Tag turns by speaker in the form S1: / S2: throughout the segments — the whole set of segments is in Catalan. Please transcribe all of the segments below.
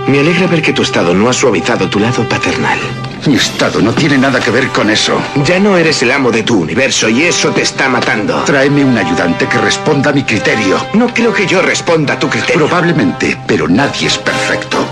S1: Me alegra ver que tu estado no ha suavizado tu lado paternal.
S2: Mi estado no tiene nada que ver con eso.
S1: Ya no eres el amo de tu universo y eso te está matando.
S2: Tráeme un ayudante que responda a mi criterio.
S1: No creo que yo responda a tu criterio.
S2: Probablemente, pero nadie es perfecto.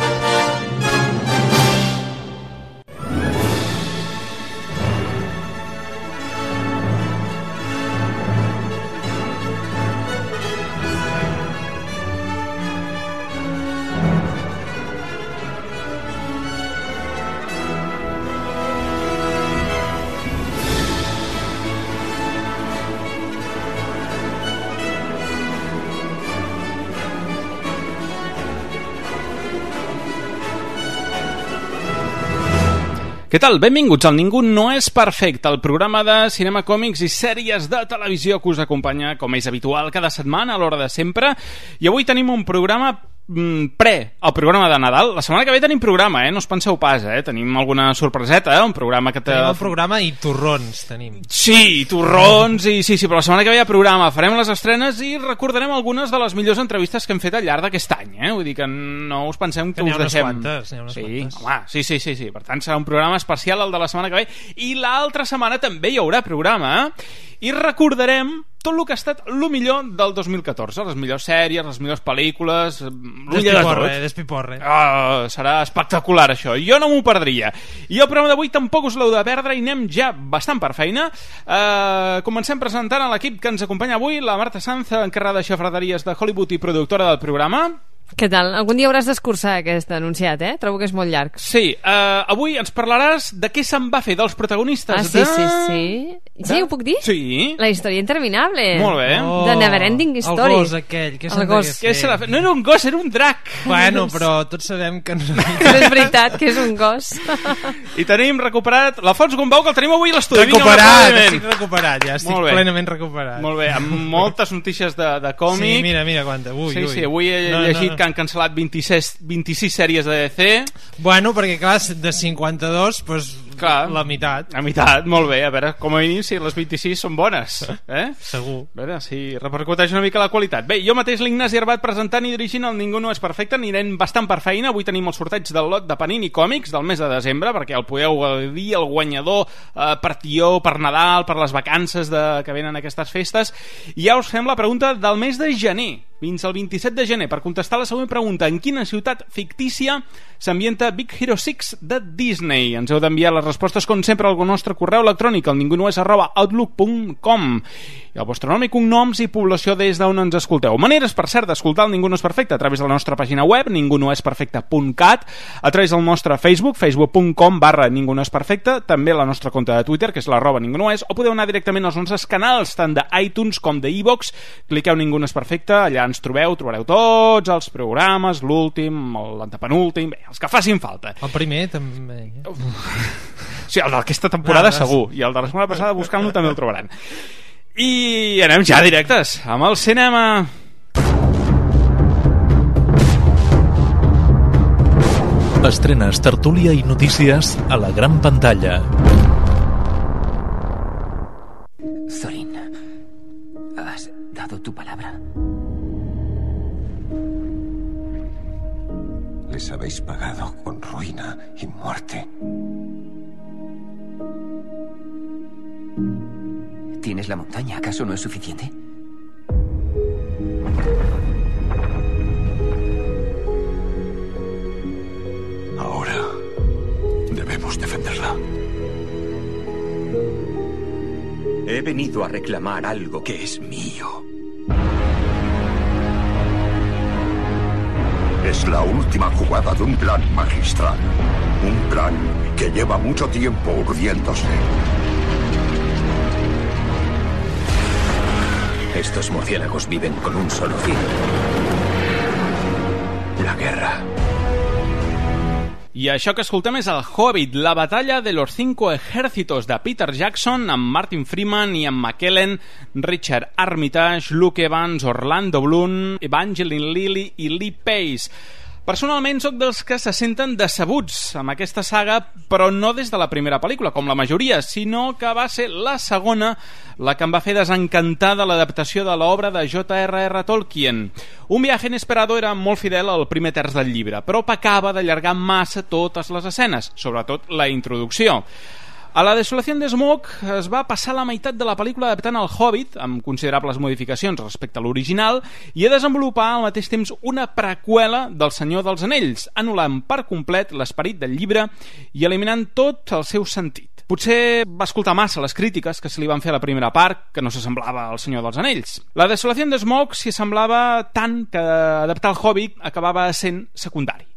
S3: Què tal? Benvinguts al Ningú no és perfecte, el programa de cinema, còmics i sèries de televisió que us acompanya, com és habitual, cada setmana a l'hora de sempre. I avui tenim un programa el programa de Nadal. La setmana que ve tenim programa, no us penseu pas, tenim alguna sorpreseta, un programa que
S4: tenim el programa i torrons tenim.
S3: Sí, torrons i sí, però la setmana que ve hi ha programa, farem les estrenes i recordarem algunes de les millors entrevistes que hem fet al llarg d'aquest any, vull dir que no us pensem que us deixem.
S4: N'hi ha unes quantes.
S3: Home, sí, per tant serà un programa especial el de la setmana que ve i l'altra setmana també hi haurà programa i recordarem tot el que ha estat el millor del 2014, les millors sèries, les millors pel·lícules,
S4: Despiporre.
S3: Serà espectacular això, jo no m'ho perdria. I el programa d'avui tampoc us l'heu de perdre i anem ja bastant per feina. Comencem presentant a l'equip que ens acompanya avui, la Marta Sanz, encarregada de xafraderies de Hollywood i productora del programa.
S5: Què tal? Algun dia hauràs d'escurçar aquest anunciat, Trobo que és molt llarg.
S3: Sí, avui ens parlaràs de què se'n va fer dels protagonistes
S5: sí. Sí, ho puc dir?
S3: Sí.
S5: La història interminable.
S3: Molt bé.
S5: The Neverending Story.
S4: El gos aquell, què se'n degués fer?
S3: No era un gos, era un drac.
S4: Bueno, però tots sabem que no...
S5: Que és veritat, que és un gos.
S3: I tenim recuperat l'Alfons Gombau, que el tenim avui a l'estudi.
S4: Estic recuperat, ja estic plenament recuperat.
S3: Molt bé, amb moltes notícies de còmic.
S4: Sí, mira quanta.
S3: Sí, avui he llegit que han cancel·lat 26 sèries de DC.
S4: Bueno, perquè clar, de 52 doncs clar, la meitat.
S3: Molt bé, a veure, com a mínim si les 26 són bones,
S4: Segur.
S3: A veure si repercuteix una mica la qualitat. Bé, jo mateix l'Ignasi Arbat presentant i dirigint el Ningú no és perfecte, anirem bastant per feina. Avui tenim el sorteig del lot de Panini Còmics del mes de desembre, perquè el podeu dir el guanyador per tió, per Nadal, per les vacances que venen aquestes festes. I ja us fem la pregunta del mes de gener fins al 27 de gener per contestar la següent pregunta: en quina ciutat fictícia s'ambienta Big Hero 6 de Disney? Ens heu d'enviar les respostes com sempre al nostre correu electrònic al ningunoes@outlook.com i el vostre nom i cognoms i població des d'on ens escolteu. Maneres, per cert, d'escoltar el Ningú no és perfecte a través de la nostra pàgina web ningunoesperfecte.cat, a través del nostre facebook.com/ningunoesperfecte, també la nostra compte de Twitter, que és @ningunoes, o podeu anar directament als nostres canals tant d'iTunes com d'iVoox. Cliqueu Ningú no és perfecte, allà ens trobareu tots els programes, l'últim, l'antepenúltim, els que facin falta.
S4: El primer també.
S3: Sí, el d'aquesta temporada segur, i el de la setmana passada buscant-lo també el trobaran. I anem ja directes amb el cinema.
S6: Estrenes, tertúlia i notícies a la gran pantalla.
S7: Thorin, ¿has dado tu palabra?
S8: Les habéis pagado con ruina y muerte.
S7: ¿Tienes la montaña? ¿Acaso no es suficiente?
S8: Ahora debemos defenderla.
S9: He venido a reclamar algo que es mío.
S8: Es la última jugada de un plan magistral. Un plan que lleva mucho tiempo urdiéndose.
S9: Estos murciélagos viven con un solo fin: la guerra.
S3: I això que escoltem és el Hobbit, la batalla de los 5 ejércitos de Peter Jackson, amb Martin Freeman, Ian McKellen, Richard Armitage, Luke Evans, Orlando Bloom, Evangeline Lilly i Lee Pace. Personalment sóc dels que se senten decebuts amb aquesta saga, però no des de la primera pel·lícula, com la majoria, sinó que va ser la segona la que em va fer desencantar de l'adaptació de l'obra de J.R.R. Tolkien. Un viaje inesperado era molt fidel al primer terç del llibre, però pecava d'allargar massa totes les escenes, sobretot la introducció. A la Desolació de Smaug es va passar la meitat de la pel·lícula adaptant el Hobbit, amb considerables modificacions respecte a l'original, i a desenvolupar al mateix temps una preqüela del Senyor dels Anells, anul·lant per complet l'esperit del llibre i eliminant tot el seu sentit. Potser va escoltar massa les crítiques que se li van fer a la primera part, que no s'assemblava al Senyor dels Anells. La Desolació de Smaug s'hi assemblava tant que adaptar el Hobbit acabava sent secundari.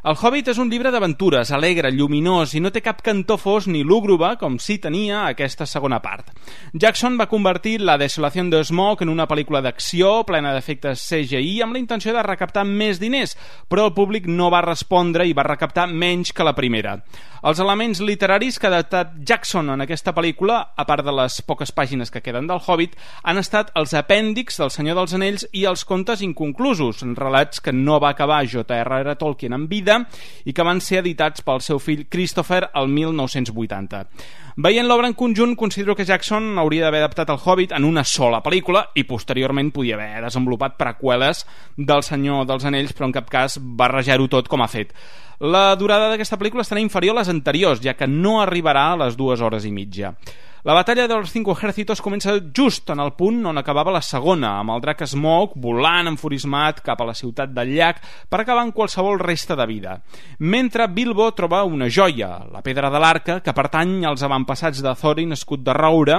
S3: El Hobbit és un llibre d'aventures, alegre, lluminós i no té cap cantó fos ni lúgubre com sí tenia aquesta segona part. Jackson va convertir La Desolació de Smaug en una pel·lícula d'acció plena d'efectes CGI amb la intenció de recaptar més diners, però el públic no va respondre i va recaptar menys que la primera. Els elements literaris que ha adaptat Jackson en aquesta pel·lícula, a part de les poques pàgines que queden del Hobbit, han estat els apèndixs del Senyor dels Anells i els contes inconclusos, relats que no va acabar J.R.R. Tolkien en vida i que van ser editats pel seu fill Christopher el 1980. Veient l'obra en conjunt, considero que Jackson hauria d'haver adaptat el Hobbit en una sola pel·lícula i posteriorment podia haver desenvolupat preqüeles del Senyor dels Anells, però en cap cas barrejar-ho tot com ha fet. La durada d'aquesta pel·lícula estarà inferior a les anteriors, ja que no arribarà a les 2 hores i mitja. La batalla dels 5 ejércitos comença just en el punt on acabava la segona, amb el drac Smaug volant enfurismat cap a la ciutat del llac per acabar amb qualsevol resta de vida. Mentre Bilbo troba una joia, la pedra de l'arca, que pertany als avantpassats de Thorin, escut de roure,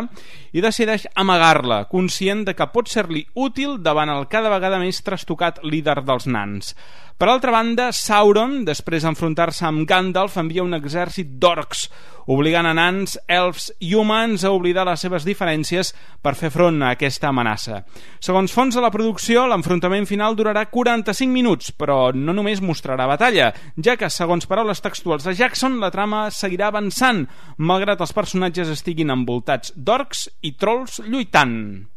S3: i decideix amagar-la, conscient de que pot ser-li útil davant el cada vegada més trastocat líder dels nans. Per altra banda, Sauron, després d'enfrontar-se amb Gandalf, envia un exèrcit d'orcs, obligant a nans, elfs i humans a oblidar les seves diferències per fer front a aquesta amenaça. Segons fonts de la producció, l'enfrontament final durarà 45 minuts, però no només mostrarà batalla, ja que, segons paraules textuals de Jackson, la trama seguirà avançant, malgrat els personatges estiguin envoltats d'orcs i trolls lluitant.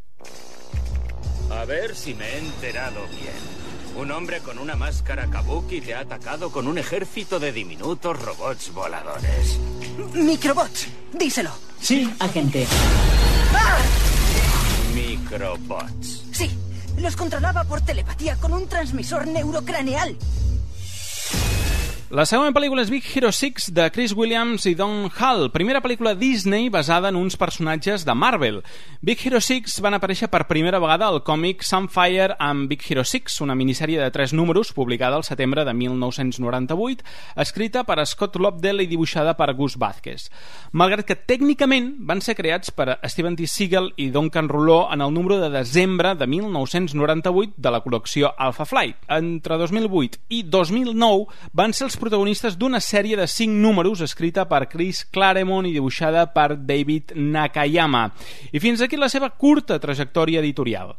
S10: A ver si me he enterado bien. Un hombre con una máscara kabuki te ha atacado con un ejército de diminutos robots voladores.
S11: Microbots, díselo.
S12: Sí, agente.
S11: ¡Ah!
S10: Microbots.
S11: Sí, los controlaba por telepatía con un transmisor neurocraneal.
S3: La segona pel·lícula és Big Hero 6 de Chris Williams i Don Hall, primera pel·lícula Disney basada en uns personatges de Marvel. Big Hero 6 van aparèixer per primera vegada al còmic Sunfire amb Big Hero 6, una minissèrie de 3 números publicada al setembre de 1998, escrita per Scott Lobdell i dibuixada per Gus Vázquez. Malgrat que tècnicament van ser creats per Steven T. Seagal i Duncan Rouleau en el número de desembre de 1998 de la col·lecció Alpha Flight. Entre 2008 i 2009 van ser els protagonistes d'una sèrie de 5 números escrita per Chris Claremont i dibuixada per David Nakayama. I fins aquí la seva curta trajectòria editorial.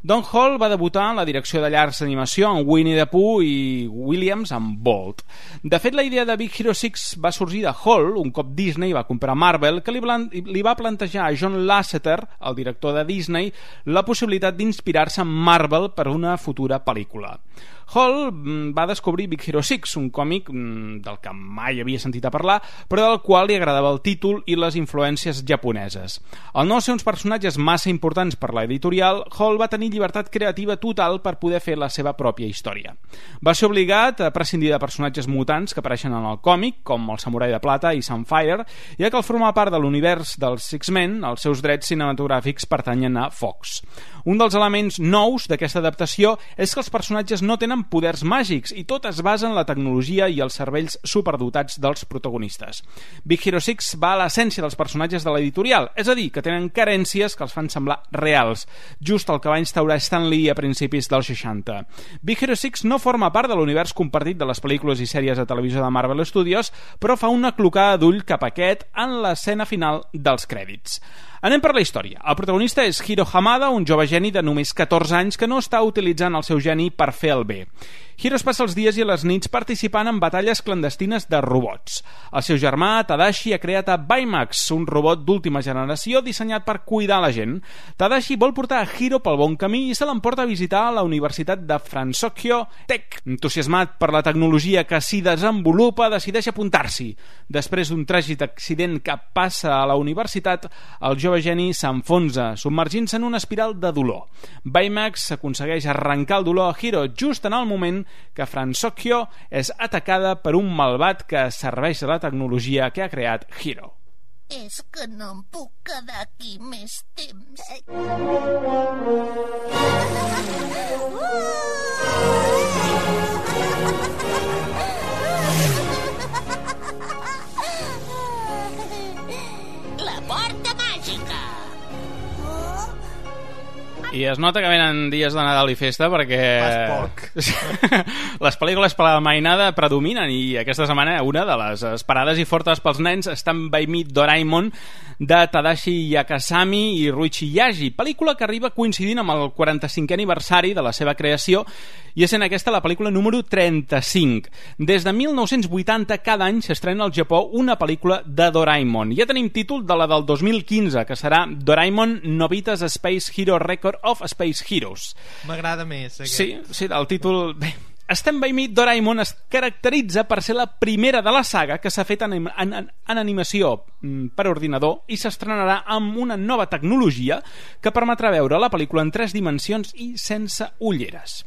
S3: Don Hall va debutar en la direcció de llargs d'animació amb Winnie the Pooh i Williams amb Bolt. De fet, la idea de Big Hero 6 va sorgir de Hall un cop Disney va comprar Marvel, que li va plantejar a John Lasseter, el director de Disney, la possibilitat d'inspirar-se en Marvel per una futura pel·lícula. Hall va descobrir Big Hero 6, un còmic del que mai havia sentit a parlar, però del qual li agradava el títol i les influències japoneses. Al no ser uns personatges massa importants per l'editorial, Hall va tenir llibertat creativa total per poder fer la seva pròpia història. Va ser obligat a prescindir de personatges mutants que apareixen en el còmic, com el Samurai de Plata i Sunfire, ja que al formar part de l'univers dels X-Men, els seus drets cinematogràfics pertanyen a Fox. Un dels elements nous d'aquesta adaptació és que els personatges no tenen poders màgics i tot es basa en la tecnologia i els cervells superdotats dels protagonistes. Big Hero 6 va a l'essència dels personatges de l'editorial, és a dir, que tenen carències que els fan semblar reals, just el que va instaurar Stan Lee a principis dels 60. Big Hero 6 no forma part de l'univers compartit de les pel·lícules i sèries de televisió de Marvel Studios, però fa una clocada d'ull cap a aquest en l'escena final dels crèdits. Anem per la història. El protagonista és Hiro Hamada, un jove geni de només 14 anys que no està utilitzant el seu geni per fer el bé. Hiro es passa els dies i les nits participant en batalles clandestines de robots. El seu germà, Tadashi, ha creat a Baymax, un robot d'última generació dissenyat per cuidar la gent. Tadashi vol portar a Hiro pel bon camí i se l'emporta a visitar a la Universitat de Fransokyo Tech. Entusiasmat per la tecnologia que s'hi desenvolupa, decideix apuntar-s'hi. Després d'un tràgic accident que passa a la universitat, el jove geni s'enfonsa, submergint-se en una espiral de dolor. Baymax aconsegueix arrencar el dolor a Hiro just en el moment que Fransokyo és atacada per un malvat que serveix de la tecnologia que ha creat Hiro.
S12: És que no em puc quedar aquí més temps. La porta màgica!
S3: I es nota que venen dies de Nadal i festa perquè les pel·lícules per la mainada predominen i aquesta setmana una de les esperades i fortes pels nens Stand By Me Doraemon de Tadashi Yakasami i Ruichi Yaji, pel·lícula que arriba coincidint amb el 45è aniversari de la seva creació i essent aquesta la pel·lícula número 35. Des de 1980 cada any s'estrena al Japó una pel·lícula de Doraemon. Ja tenim títol de la del 2015, que serà Doraemon Nobita's Space Hero Record of Space Heroes.
S4: M'agrada més aquest.
S3: Sí, el títol... Bé, Stand By Me Doraemon es caracteritza per ser la primera de la saga que s'ha fet en animació per ordinador i s'estrenarà amb una nova tecnologia que permetrà veure la pel·lícula en 3 dimensions i sense ulleres.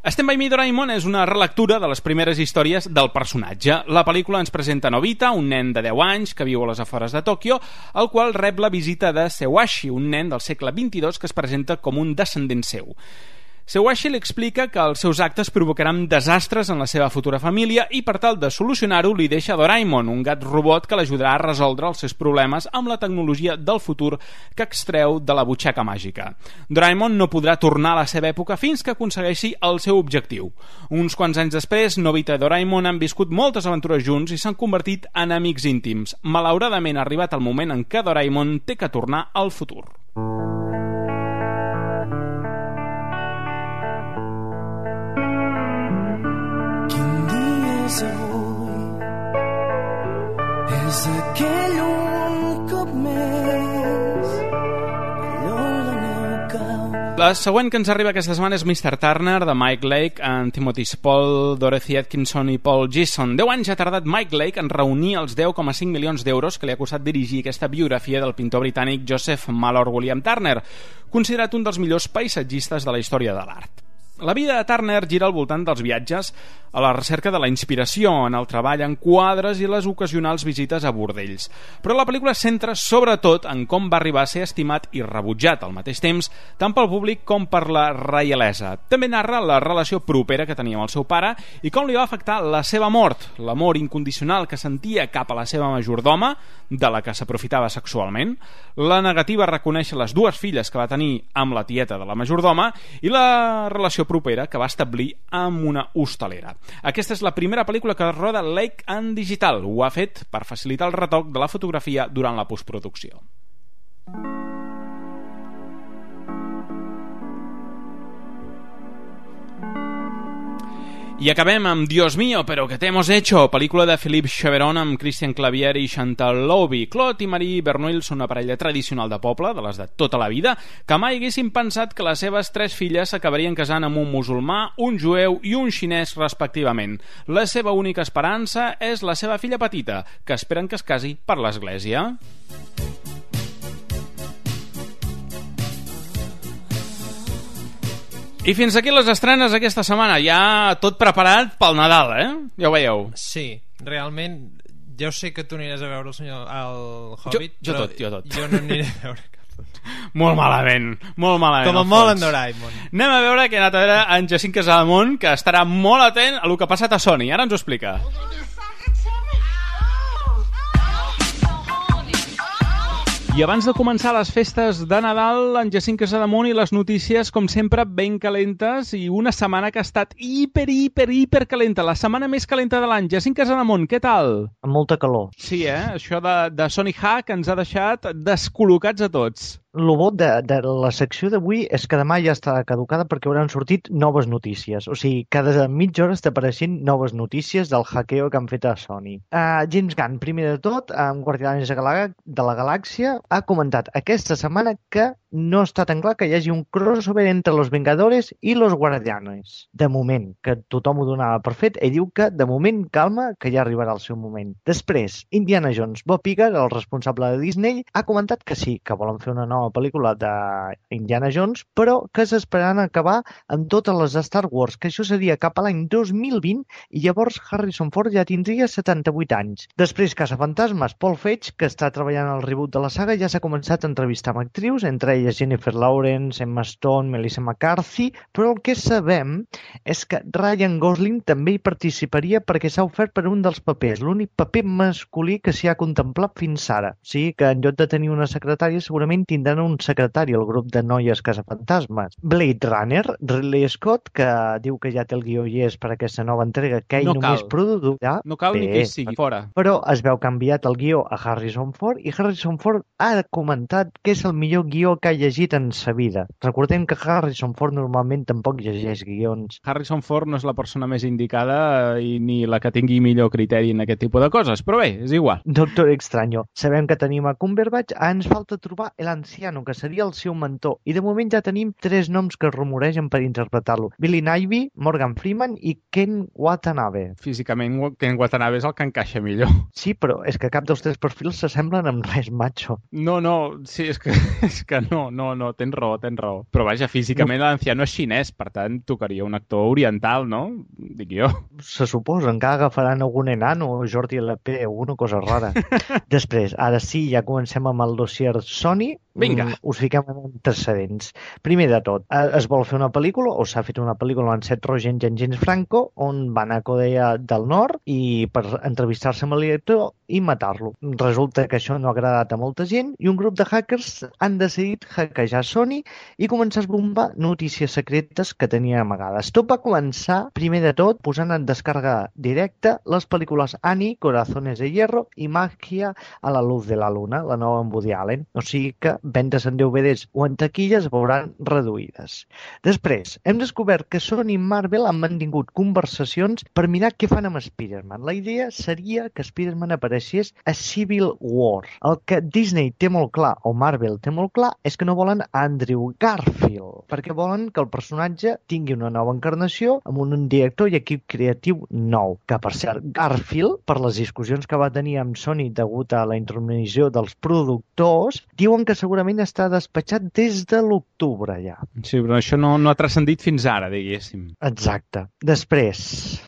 S3: Stand By Me Doraemon és una relectura de les primeres històries del personatge. La pel·lícula ens presenta Nobita, un nen de 10 anys que viu a les afores de Tòquio, el qual rep la visita de Sewashi, un nen del segle XXII que es presenta com un descendent seu. Sewashi li explica que els seus actes provocaran desastres en la seva futura família i per tal de solucionar-ho li deixa Doraemon, un gat robot que l'ajudarà a resoldre els seus problemes amb la tecnologia del futur que extreu de la butxaca màgica. Doraemon no podrà tornar a la seva època fins que aconsegueixi el seu objectiu. Uns quants anys després, Nobita i Doraemon han viscut moltes aventures junts i s'han convertit en amics íntims. Malauradament ha arribat el moment en què Doraemon té que tornar al futur.
S13: Avui és aquell un cop més
S3: La següent que ens arriba aquesta setmana és Mr. Turner, de Mike Lake, amb Timothy Spall, Dorothy Atkinson i Paul Gleason. 10 anys ha tardat Mike Lake en reunir els 10,5 milions d'euros que li ha costat dirigir aquesta biografia del pintor britànic Joseph Malor William Turner, considerat un dels millors paisatgistes de la història de l'art. La vida de Turner gira al voltant dels viatges a la recerca de la inspiració, en el treball en quadres i les ocasionals visites a bordells. Però la pel·lícula es centra sobretot en com va arribar a ser estimat i rebutjat al mateix temps, tant pel públic com per la reialesa. També narra la relació propera que tenia amb el seu pare i com li va afectar la seva mort, l'amor incondicional que sentia cap a la seva majordoma, de la que s'aprofitava sexualment, la negativa a reconèixer les 2 filles que va tenir amb la tieta de la majordoma i la relació propera que va establir amb una hostalera. Aquesta és la primera pel·lícula que roda Lake en digital. Ho ha fet per facilitar el retoc de la fotografia durant la postproducció. I acabem amb Dios mío, pero que te hemos hecho, pel·lícula de Philippe Cheveron amb Christian Clavier i Chantal Lobby. Claude i Marie Bernouil són una parella tradicional de poble, de les de tota la vida, que mai haguessin pensat que les seves 3 filles s'acabarien casant amb un musulmà, un jueu i un xinès respectivament. La seva única esperança és la seva filla petita, que esperen que es casi per l'església. I fins aquí les estrenes aquesta setmana. Ja tot preparat pel Nadal, Ja ho veieu.
S4: Sí, realment jo sé que tu aniràs a veure el Hobbit,
S3: jo tot.
S4: Jo no aniré a veure cap.
S3: Molt malament.
S4: Com a molt en Doraemon.
S3: Anem a veure que ha anat a veure en Jacint Casademont, que estarà molt atent a el que ha passat a Sony. Ara ens ho explica. I abans de començar les festes de Nadal, en Jacint Casademont i les notícies, com sempre, ben calentes i una setmana que ha estat hiper calenta, la setmana més calenta de l'any. Jacint Casademont, què tal?
S14: Amb molta calor.
S3: Sí, això de Sony Hack ens ha deixat descol·locats a tots.
S14: Lo bo de la secció d'avui és que demà ja està caducada perquè hauran sortit noves notícies. O sigui, cada mitja hora està apareixent noves notícies del hackeo que han fet a Sony. James Gunn, primer de tot, amb Guardians de la Galàxia, ha comentat aquesta setmana que no està tan clar que hi hagi un crossover entre Los Vengadores i Los Guardianes. De moment, que tothom ho donava per fet, ell diu que de moment calma, que ja arribarà el seu moment. Després, Indiana Jones, Bob Iger, el responsable de Disney, ha comentat que sí, que volen fer una nova pel·lícula d'Indiana Jones, però que s'esperaran acabar amb totes les de Star Wars, que això seria cap a l'any 2020 i llavors Harrison Ford ja tindria 78 anys. Després, Caçafantasmes, Paul Feig, que està treballant al reboot de la saga, ja s'ha començat a entrevistar amb actrius, entre elles Jennifer Lawrence, Emma Stone, Melissa McCarthy, però el que sabem és que Ryan Gosling també hi participaria perquè s'ha ofert per un dels papers, l'únic paper masculí que s'hi ha contemplat fins ara. O sigui que en lloc de tenir una secretària segurament tindran un secretari al grup de noies caçafantasmes. Blade Runner, Ridley Scott, que diu que ja té el guió i és per aquesta nova entrega que ell només produirà.
S3: No cal ni que ell sigui fora.
S14: Però es veu que ha enviat el guió a Harrison Ford i Harrison Ford ha comentat que és el millor guió que ha llegit en sa vida. Recordem que Harrison Ford normalment tampoc llegeix guions.
S3: Harrison Ford no és la persona més indicada i ni la que tingui millor criteri en aquest tipus de coses, però bé, és igual.
S14: Doctor Extraño. Sabem que tenim a Cumberbatch, ens falta trobar l'Anciano, que seria el seu mentor, i de moment ja tenim 3 noms que es rumoregen per interpretar-lo. Billy Ivy, Morgan Freeman i Ken Watanabe.
S3: Físicament, Ken Watanabe és el que encaixa millor.
S14: Sí, però és que cap dels 3 perfils s'assemblen amb res macho.
S3: No, sí, és que no, tens raó. Però vaja, físicament l'anciano és xinès, per tant, tocaria un actor oriental, no? Dic jo.
S14: Se suposa, encara agafaran algun enano o Jordi LP, alguna cosa rara. Després, ara sí, ja comencem amb el dossier Sony.
S3: Vinga.
S14: Us fiquem en antecedents. Primer de tot, es vol fer una pel·lícula, o s'ha fet una pel·lícula en Seth Rogen i en James Franco, on van a Corea del Nord i per entrevistar-se amb el director i matar-lo. Resulta que això no ha agradat a molta gent i un grup de hackers han decidit hackejar Sony i començar a esbombar notícies secretes que tenia amagades. Tot va començar, primer de tot, posant en descàrrega directa les pel·lícules Annie, Corazones de Hierro i Magia a la luz de la luna, la nova amb Woody Allen. O sigui que vendes en DVDs o en taquilles veuran reduïdes. Després, hem descobert que Sony i Marvel han mantingut conversacions per mirar què fan amb Spider-Man. La idea seria que Spider-Man apareixés a Civil War. El que Disney té molt clar, o Marvel té molt clar, és que no volen Andrew Garfield, perquè volen que el personatge tingui una nova encarnació amb un director i equip creatiu nou. Que, per cert, Garfield, per les discussions que va tenir amb Sony degut a la intromissió dels productors, diuen que segurament està despatxat des de l'octubre ja.
S3: Sí, però això no ha transcendit fins ara, diguéssim.
S14: Exacte. Després,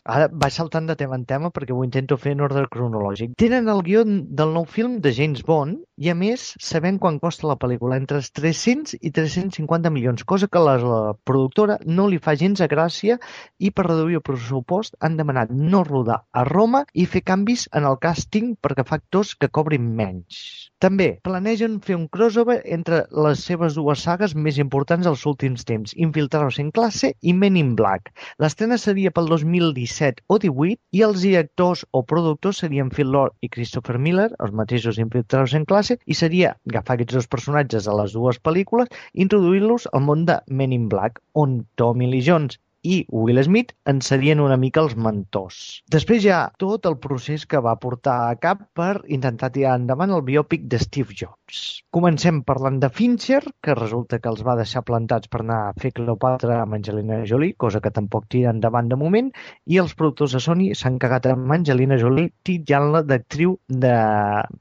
S14: ara vaig saltant de tema en tema perquè ho intento fer en ordre cronològic. Tenen el guió del nou film de James Bond i, a més, sabem quan costa la pel·lícula, entre 300 i 350 milions, cosa que la productora no li fa gens de gràcia i per reduir el pressupost han demanat no rodar a Roma i fer canvis en el càsting perquè fa actors que cobrin menys. També planegen fer un crossover entre les seves dues sagues més importants dels últims temps, Infiltrados en classe i Men in Black. L'estrena seria pel 2017 o 18 i els directors o productors serien Phil Lord i Christopher Miller, els mateixos Infiltrados en classe, i seria agafar aquests dos personatges de les dues pel·lícules i introduir-los al món de Men in Black, on Tommy Lee Jones i Will Smith en serien una mica els mentors. Després hi ha tot el procés que va portar a cap per intentar tirar endavant el biòpic de Steve Jobs. Comencem parlant de Fincher, que resulta que els va deixar plantats per anar a fer Cleopatra amb Angelina Jolie, cosa que tampoc tira endavant de moment, i els productors de Sony s'han cagat amb Angelina Jolie titllant-la d'actriu de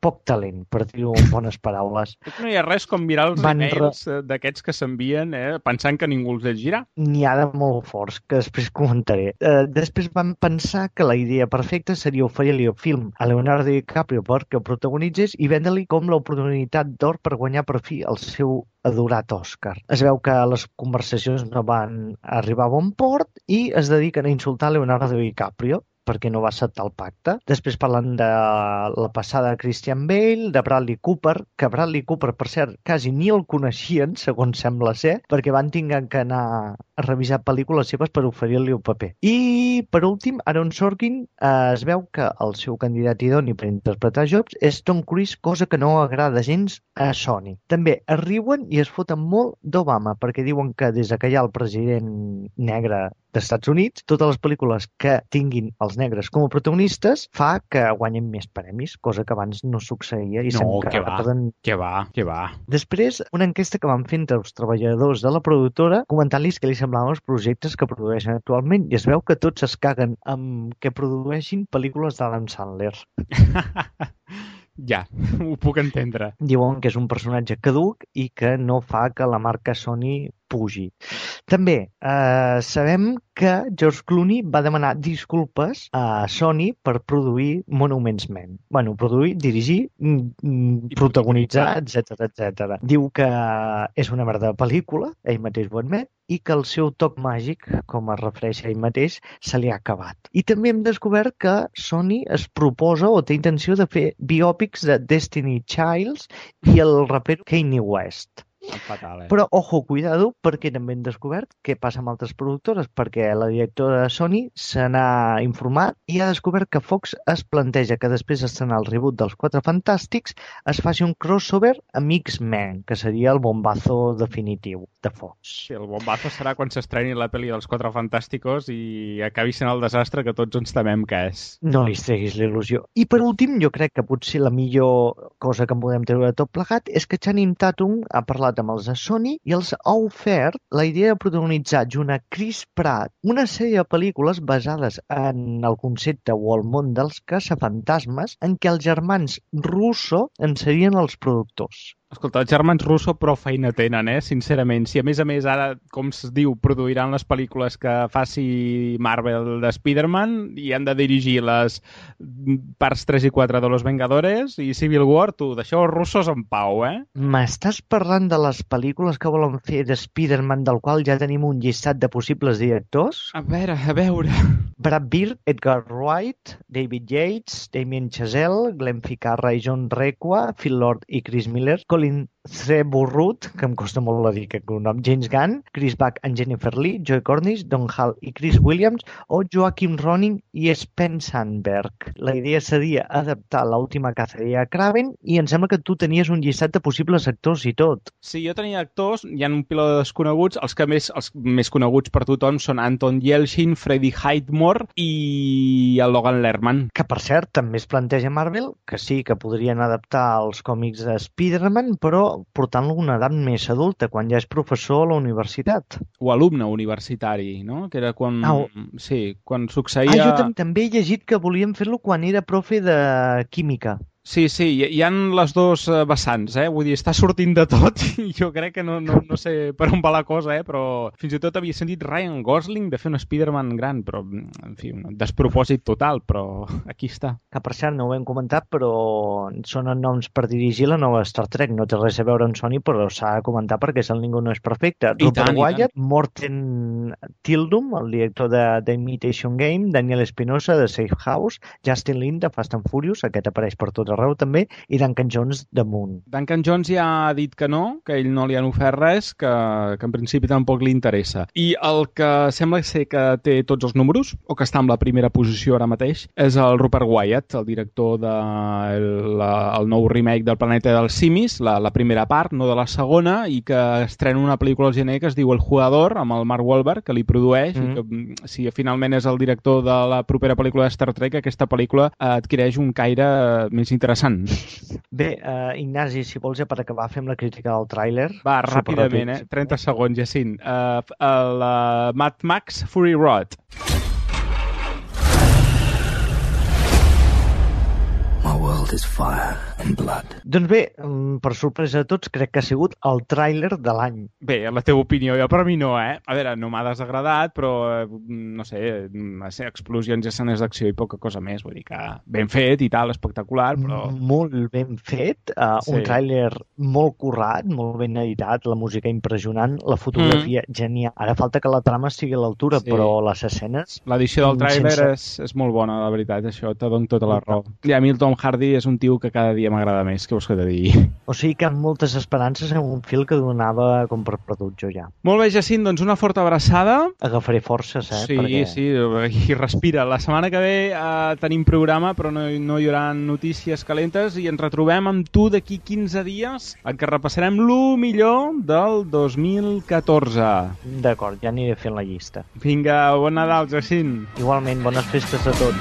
S14: poc talent, per dir-ho en bones paraules.
S3: No hi ha res com mirar els emails d'aquests que s'envien pensant que ningú els llegirà.
S14: N'hi ha de molt forts, que després comentaré. Després van pensar que la idea perfecta seria oferir-li el film a Leonardo DiCaprio perquè el protagonitzés i vendre-li com l'oportunitat d'or per guanyar per fi el seu adorat Òscar. Es veu que les conversacions no van arribar a bon port i es dediquen a insultar Leonardo DiCaprio. perquè no va acceptar el pacte. Després parlen de la passada de Christian Bale, de Bradley Cooper, que Bradley Cooper, per cert, quasi ni el coneixien, segons sembla ser, perquè van tinguer que anar a revisar pel·lícules seves per oferir-li un paper. I, per últim, Aaron Sorkin es veu que el seu candidat idoni per interpretar Jobs és Tom Cruise, cosa que no agrada gens a Sony. També es riuen i es foten molt d'Obama, perquè diuen que des que hi ha el president negre dels Estats Units, totes les pel·lícules que tinguin els negres com a protagonistes fa que guanyen més premis, cosa que abans no succeïa. I
S3: no, que va.
S14: Després, una enquesta que van fer entre els treballadors de la productora comentant-los què li semblaven els projectes que produeixen actualment, i es veu que tots es caguen amb que produeixin pel·lícules d'Adam Sandler.
S3: Ja, ho puc entendre.
S14: Diuen que és un personatge caduc i que no fa que la marca Sony pugi. També sabem que George Clooney va demanar disculpes a Sony per produir Monuments Men. Bueno, produir, dirigir, protagonitzar, etc. Diu que és una merda de pel·lícula, ell mateix ho admet, i que el seu toc màgic, com es refereix a ell mateix, se li ha acabat. I també hem descobert que Sony es proposa o té intenció de fer biòpics de Destiny Childs i el raper Kanye West.
S3: Fatal,
S14: Però, ojo, cuidado, perquè també hem descobert què passa amb altres productores, perquè la directora de Sony se n'ha informat i ha descobert que Fox es planteja que després d'estrenar el reboot dels Quatre Fantàstics es faci un crossover amb X-Men, que seria el bombazo definitiu de Fox.
S3: Sí, el bombazo serà quan s'estreni la pel·li dels Quatre Fantàsticos i acabi sent el desastre que tots ens temem que és.
S14: No li treguis l'il·lusió. I per últim, jo crec que potser la millor cosa que en podem treure de tot plegat és que Channing Tatum ha parlat amb els de Sony i els ha ofert la idea de protagonitzar junt a Chris Pratt una sèrie de pel·lícules basades en el concepte o el món dels caçafantasmes en què els germans Russo en serien els productors.
S3: Escolta, els germans Russo prou feina tenen, sincerament. Si a més ara, com es diu, produiran les pel·lícules que faci Marvel de Spider-Man i han de dirigir les parts 3 i 4 de Los Vengadores i Civil War, tu, deixeu els russos en pau,
S14: M'estàs parlant de les pel·lícules que volen fer de Spider-Man, del qual ja tenim un llistat de possibles directors?
S3: A veure...
S14: Brad Bird, Edgar Wright, David Yates, Damien Chazelle, Glenn Ficarra i John Requa, Phil Lord i Chris Miller, Colin Trevorrow, que em costa molt de dir aquest nom, James Gunn, Chris Buck and Jennifer Lee, Joe Cornish, Don Hall i Chris Williams, o Joachim Ronin i Sven Sandberg. La idea seria adaptar l'última caceria a Kraven i em sembla que tu tenies un llistat de possibles actors i tot.
S3: Sí, jo tenia actors, hi ha un piló de desconeguts, els més coneguts per tothom són Anton Yelchin, Freddie Highmore i el Logan Lerman.
S14: Que, per cert, també es planteja Marvel que sí, que podrien adaptar els còmics de Spider-Man, però portant-lo a una edat més adulta, quan ja és professor a la universitat.
S3: O alumne universitari, no? Que era quan... Sí, quan succeïa...
S14: Jo també he llegit que volien fer-lo quan era profe de química.
S3: Sí, hi ha les dos vessants, Vull dir, està sortint de tot i jo crec que no sé per on va la cosa, però fins i tot havia sentit Ryan Gosling de fer un Spider-Man gran, però, en fi, un despropòsit total, però aquí està.
S14: Que, per cert, no ho hem comentat, però són noms per dirigir la nova Star Trek. No té res a veure amb Sony, però s'ha de comentar perquè el Ningú no és perfecte. Rupert Wyatt, Morten Tildum, el director de The Imitation Game, Daniel Espinosa, de Safe House, Justin Lin, de Fast and Furious, aquest apareix per tot arreu també, i Duncan Jones de Moon.
S3: Duncan Jones ja ha dit que no, que ell no li han ofert res, que en principi tampoc li interessa. I el que sembla ser que té tots els números, o que està en la primera posició ara mateix, és el Rupert Wyatt, el director del nou remake del Planeta dels Simis, la primera part, no de la segona, i que estrena una pel·lícula al gener que es diu El Jugador, amb el Mark Wahlberg, que li produeix, i que si finalment és el director de la propera pel·lícula de Star Trek, aquesta pel·lícula adquireix un caire més interessant.
S14: Bé, Ignasi, si vols ja per acabar fem la crítica del tràiler.
S3: Va, ràpidament, 30 segons, Jacint. Mad Max Fury Road.
S13: My world world is fire and blood.
S14: Doncs bé, per sorpresa de tots, crec que ha sigut el tràiler de l'any.
S3: Bé, la teva opinió, jo per mi no, A veure, no m'ha desagradat, però, no sé, explosions i escenes d'acció i poca cosa més, vull dir que ben fet i tal, espectacular, però...
S14: Molt ben fet, un tràiler molt currat, molt ben editat, la música impressionant, la fotografia genial. Ara falta que la trama sigui a l'altura, però les escenes...
S3: L'edició del tràiler és molt bona, la veritat, això te dono tota la raó. I a mi el Tom Hardy és un tio que cada dia m'agrada més, què vols que te digui?
S14: O sigui que amb moltes esperances en un film que donava com per perdut jo ja.
S3: Molt bé, Jacint, doncs una forta abraçada.
S14: Agafaré forces,
S3: Sí, perquè... sí, i respira. La setmana que ve tenim programa, però no hi haurà notícies calentes i ens retrobem amb tu d'aquí 15 dies en què repassarem lo millor del 2014.
S14: D'acord, ja aniré fent la llista.
S3: Vinga, bon Nadal, Jacint.
S14: Igualment, bones festes a tots.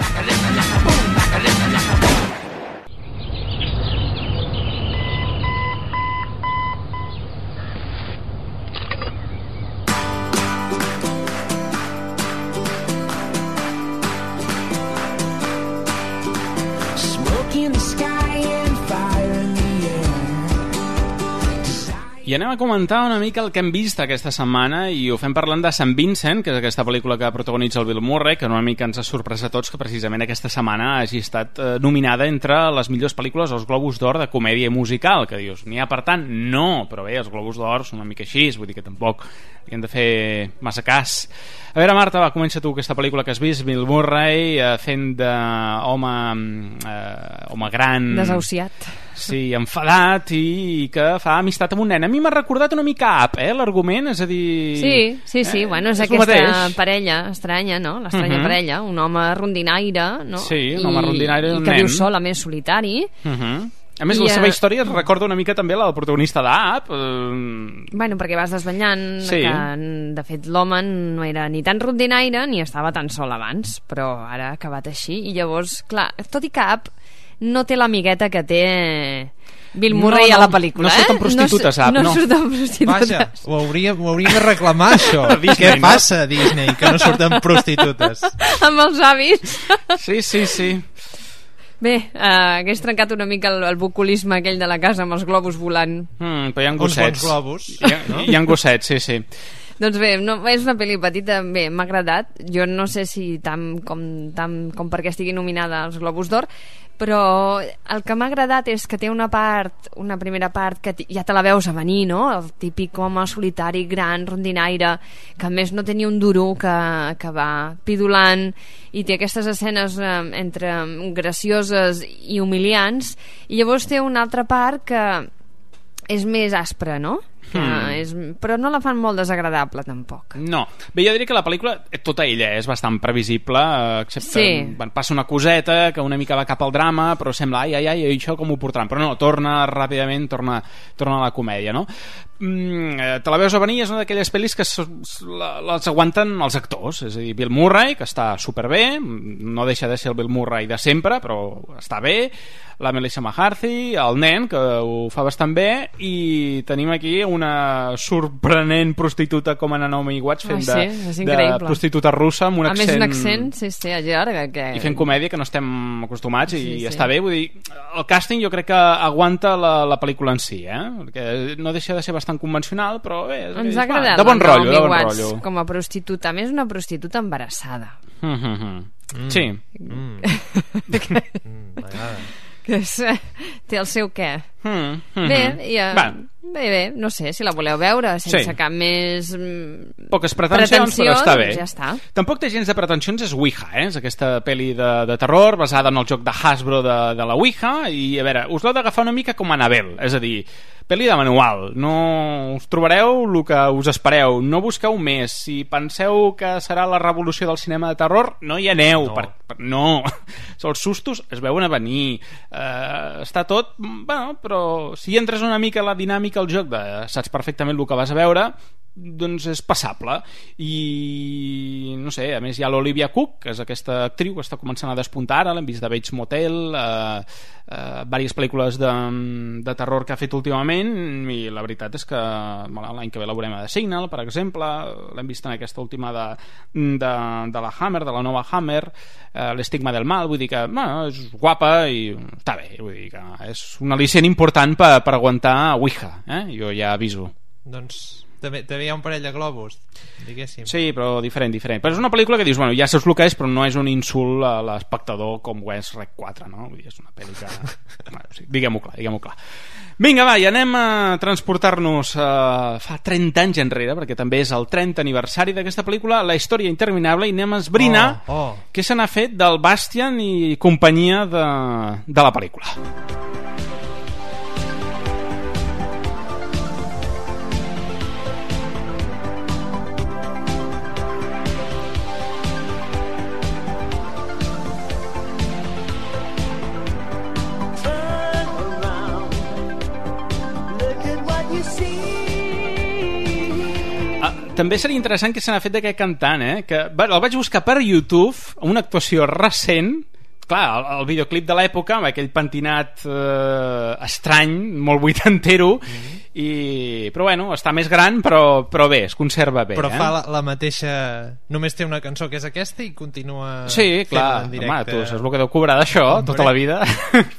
S3: I anem a comentar una mica el que hem vist aquesta setmana i ho fem parlant de St. Vincent, que és aquesta pel·lícula que protagonitza el Bill Murray, que una mica ens ha sorprès a tots que precisament aquesta setmana hagi estat nominada entre les millors pel·lícules als Globus d'Or de comèdia musical, que dius, n'hi ha per tant? No, però bé, els Globus d'Or són una mica així, vull dir que tampoc hi hem de fer massa cas. A veure, Marta, va, comença tu aquesta pel·lícula que has vist, Bill Murray fent d'home gran...
S5: Desahuciat.
S3: Sí, enfadat i que fa amistat amb un nen. A mi m'ha recordat una mica Up, l'argument, és a dir...
S5: Sí, bueno, és aquesta parella estranya, no? L'estranya parella, un home rondinaire, no?
S3: Sí, un home rondinaire i un nen.
S5: I que viu sol, a més solitari.
S3: A més, la seva història es recorda una mica també la del protagonista d'Up.
S5: Bueno, perquè vas desvetllant que, de fet, l'home no era ni tan rondinaire ni estava tan sol abans, però ara ha acabat així. I llavors, clar, tot i que Up no té l'amigueta que té Bill Murray a la pel·lícula.
S3: No surten prostitutes, Up,
S5: no surten prostitutes.
S4: Vaja, ho hauríem de reclamar, això. Què passa a Disney, que no surten prostitutes?
S5: Amb els avis.
S3: Sí.
S5: Bé, hagués trencat una mica el bucolisme aquell de la casa amb els globus volant.
S3: Però hi ha gossets.
S4: Uns bons globus.
S3: Hi ha gossets, sí.
S5: Doncs bé, és una pel·li petita, bé, m'ha agradat. Jo no sé si tant com perquè estigui nominada als Globus d'Or, però el que m'ha agradat és que té una primera part que ja te la veus a venir, no? El típic home solitari, gran, rondinaire, que a més no té ni un duro, que va pidolant, i té aquestes escenes entre gracioses i humiliants, i llavors té una altra part que és més aspra, no? Però no la fan molt desagradable tampoc.
S3: No, bé, jo diria que la pel·lícula tota ella és bastant previsible, excepte passa una coseta que una mica va cap al drama, però sembla ai, això com ho portaran, però no, torna ràpidament, torna a la comèdia, no? Te la veus a venir, és una d'aquelles pel·lis que les aguanten els actors, és a dir, Bill Murray, que està superbé, no deixa de ser el Bill Murray de sempre, però està bé, la Melissa McCarthy, el nen, que ho fa bastant bé, i tenim aquí una sorprenent prostituta com en Naomi Watts fent de prostituta russa amb un accent...
S5: A més, un accent, sí, llarg.
S3: I fent comèdia, que no estem acostumats, i està bé, vull dir, el càsting jo crec que aguanta la pel·lícula en si, perquè no deixa de ser bastant convencional, però bé,
S5: ens ha agradat
S3: de bon rotllo,
S5: com a prostituta, a més una prostituta embarassada.
S3: Sí.
S5: M'agrada. Que té el seu què. Bé, no sé, si la voleu veure sense cap més
S3: poques pretensions, però està bé.
S5: Ja està.
S3: Tampoc té gens de pretensions, és Ouija, és aquesta pel·li de terror basada en el joc de Hasbro de la Ouija, i a veure, us l'heu d'agafar una mica com Annabelle, és a dir, pel·li de manual, no us trobareu el que us espereu, no busqueu més, si penseu que serà la revolució del cinema de terror, no hi aneu, no, els sustos es veuen a venir, està tot, bueno, però si entres una mica a la dinàmica al joc saps perfectament el que vas a veure, doncs és passable. I no sé, a més hi ha l'Olivia Cook, que és aquesta actriu que està començant a despuntar ara, l'hem vist de Bates Motel, diverses pel·lícules de terror que ha fet últimament, i la veritat és que l'any que ve la veurem a The Signal, per exemple, l'hem vist en aquesta última de la Hammer, de la nova Hammer, L'estigma del mal, vull dir que és guapa i està bé, vull dir que és un al·licient important per aguantar Ouija, jo ja aviso.
S4: Doncs també hi ha un parell de globus, diguéssim.
S3: Sí, però diferent. Però és una pel·lícula que dius, bueno, ja saps el que és, però no és un insult a l'espectador com ho és Rec 4, no? Vull dir, és una pel·li que... bueno, sí, diguem-ho clar. Vinga, va, i anem a transportar-nos fa 30 anys enrere, perquè també és el 30 aniversari d'aquesta pel·lícula, La història interminable, i anem a esbrinar què se n'ha fet del Bastian i companyia de la pel·lícula. També seria interessant que se n'ha fet d'aquest cantant, que el vaig buscar per YouTube, una actuació recent. Clar, el videoclip de l'època, amb aquell pentinat estrany, molt vuitantero, però bueno, està més gran, però bé, es conserva bé.
S4: Però fa la mateixa... Només té una cançó que és aquesta i continua...
S3: Sí, clar, home, tu saps el que deu cobrar d'això tota la vida.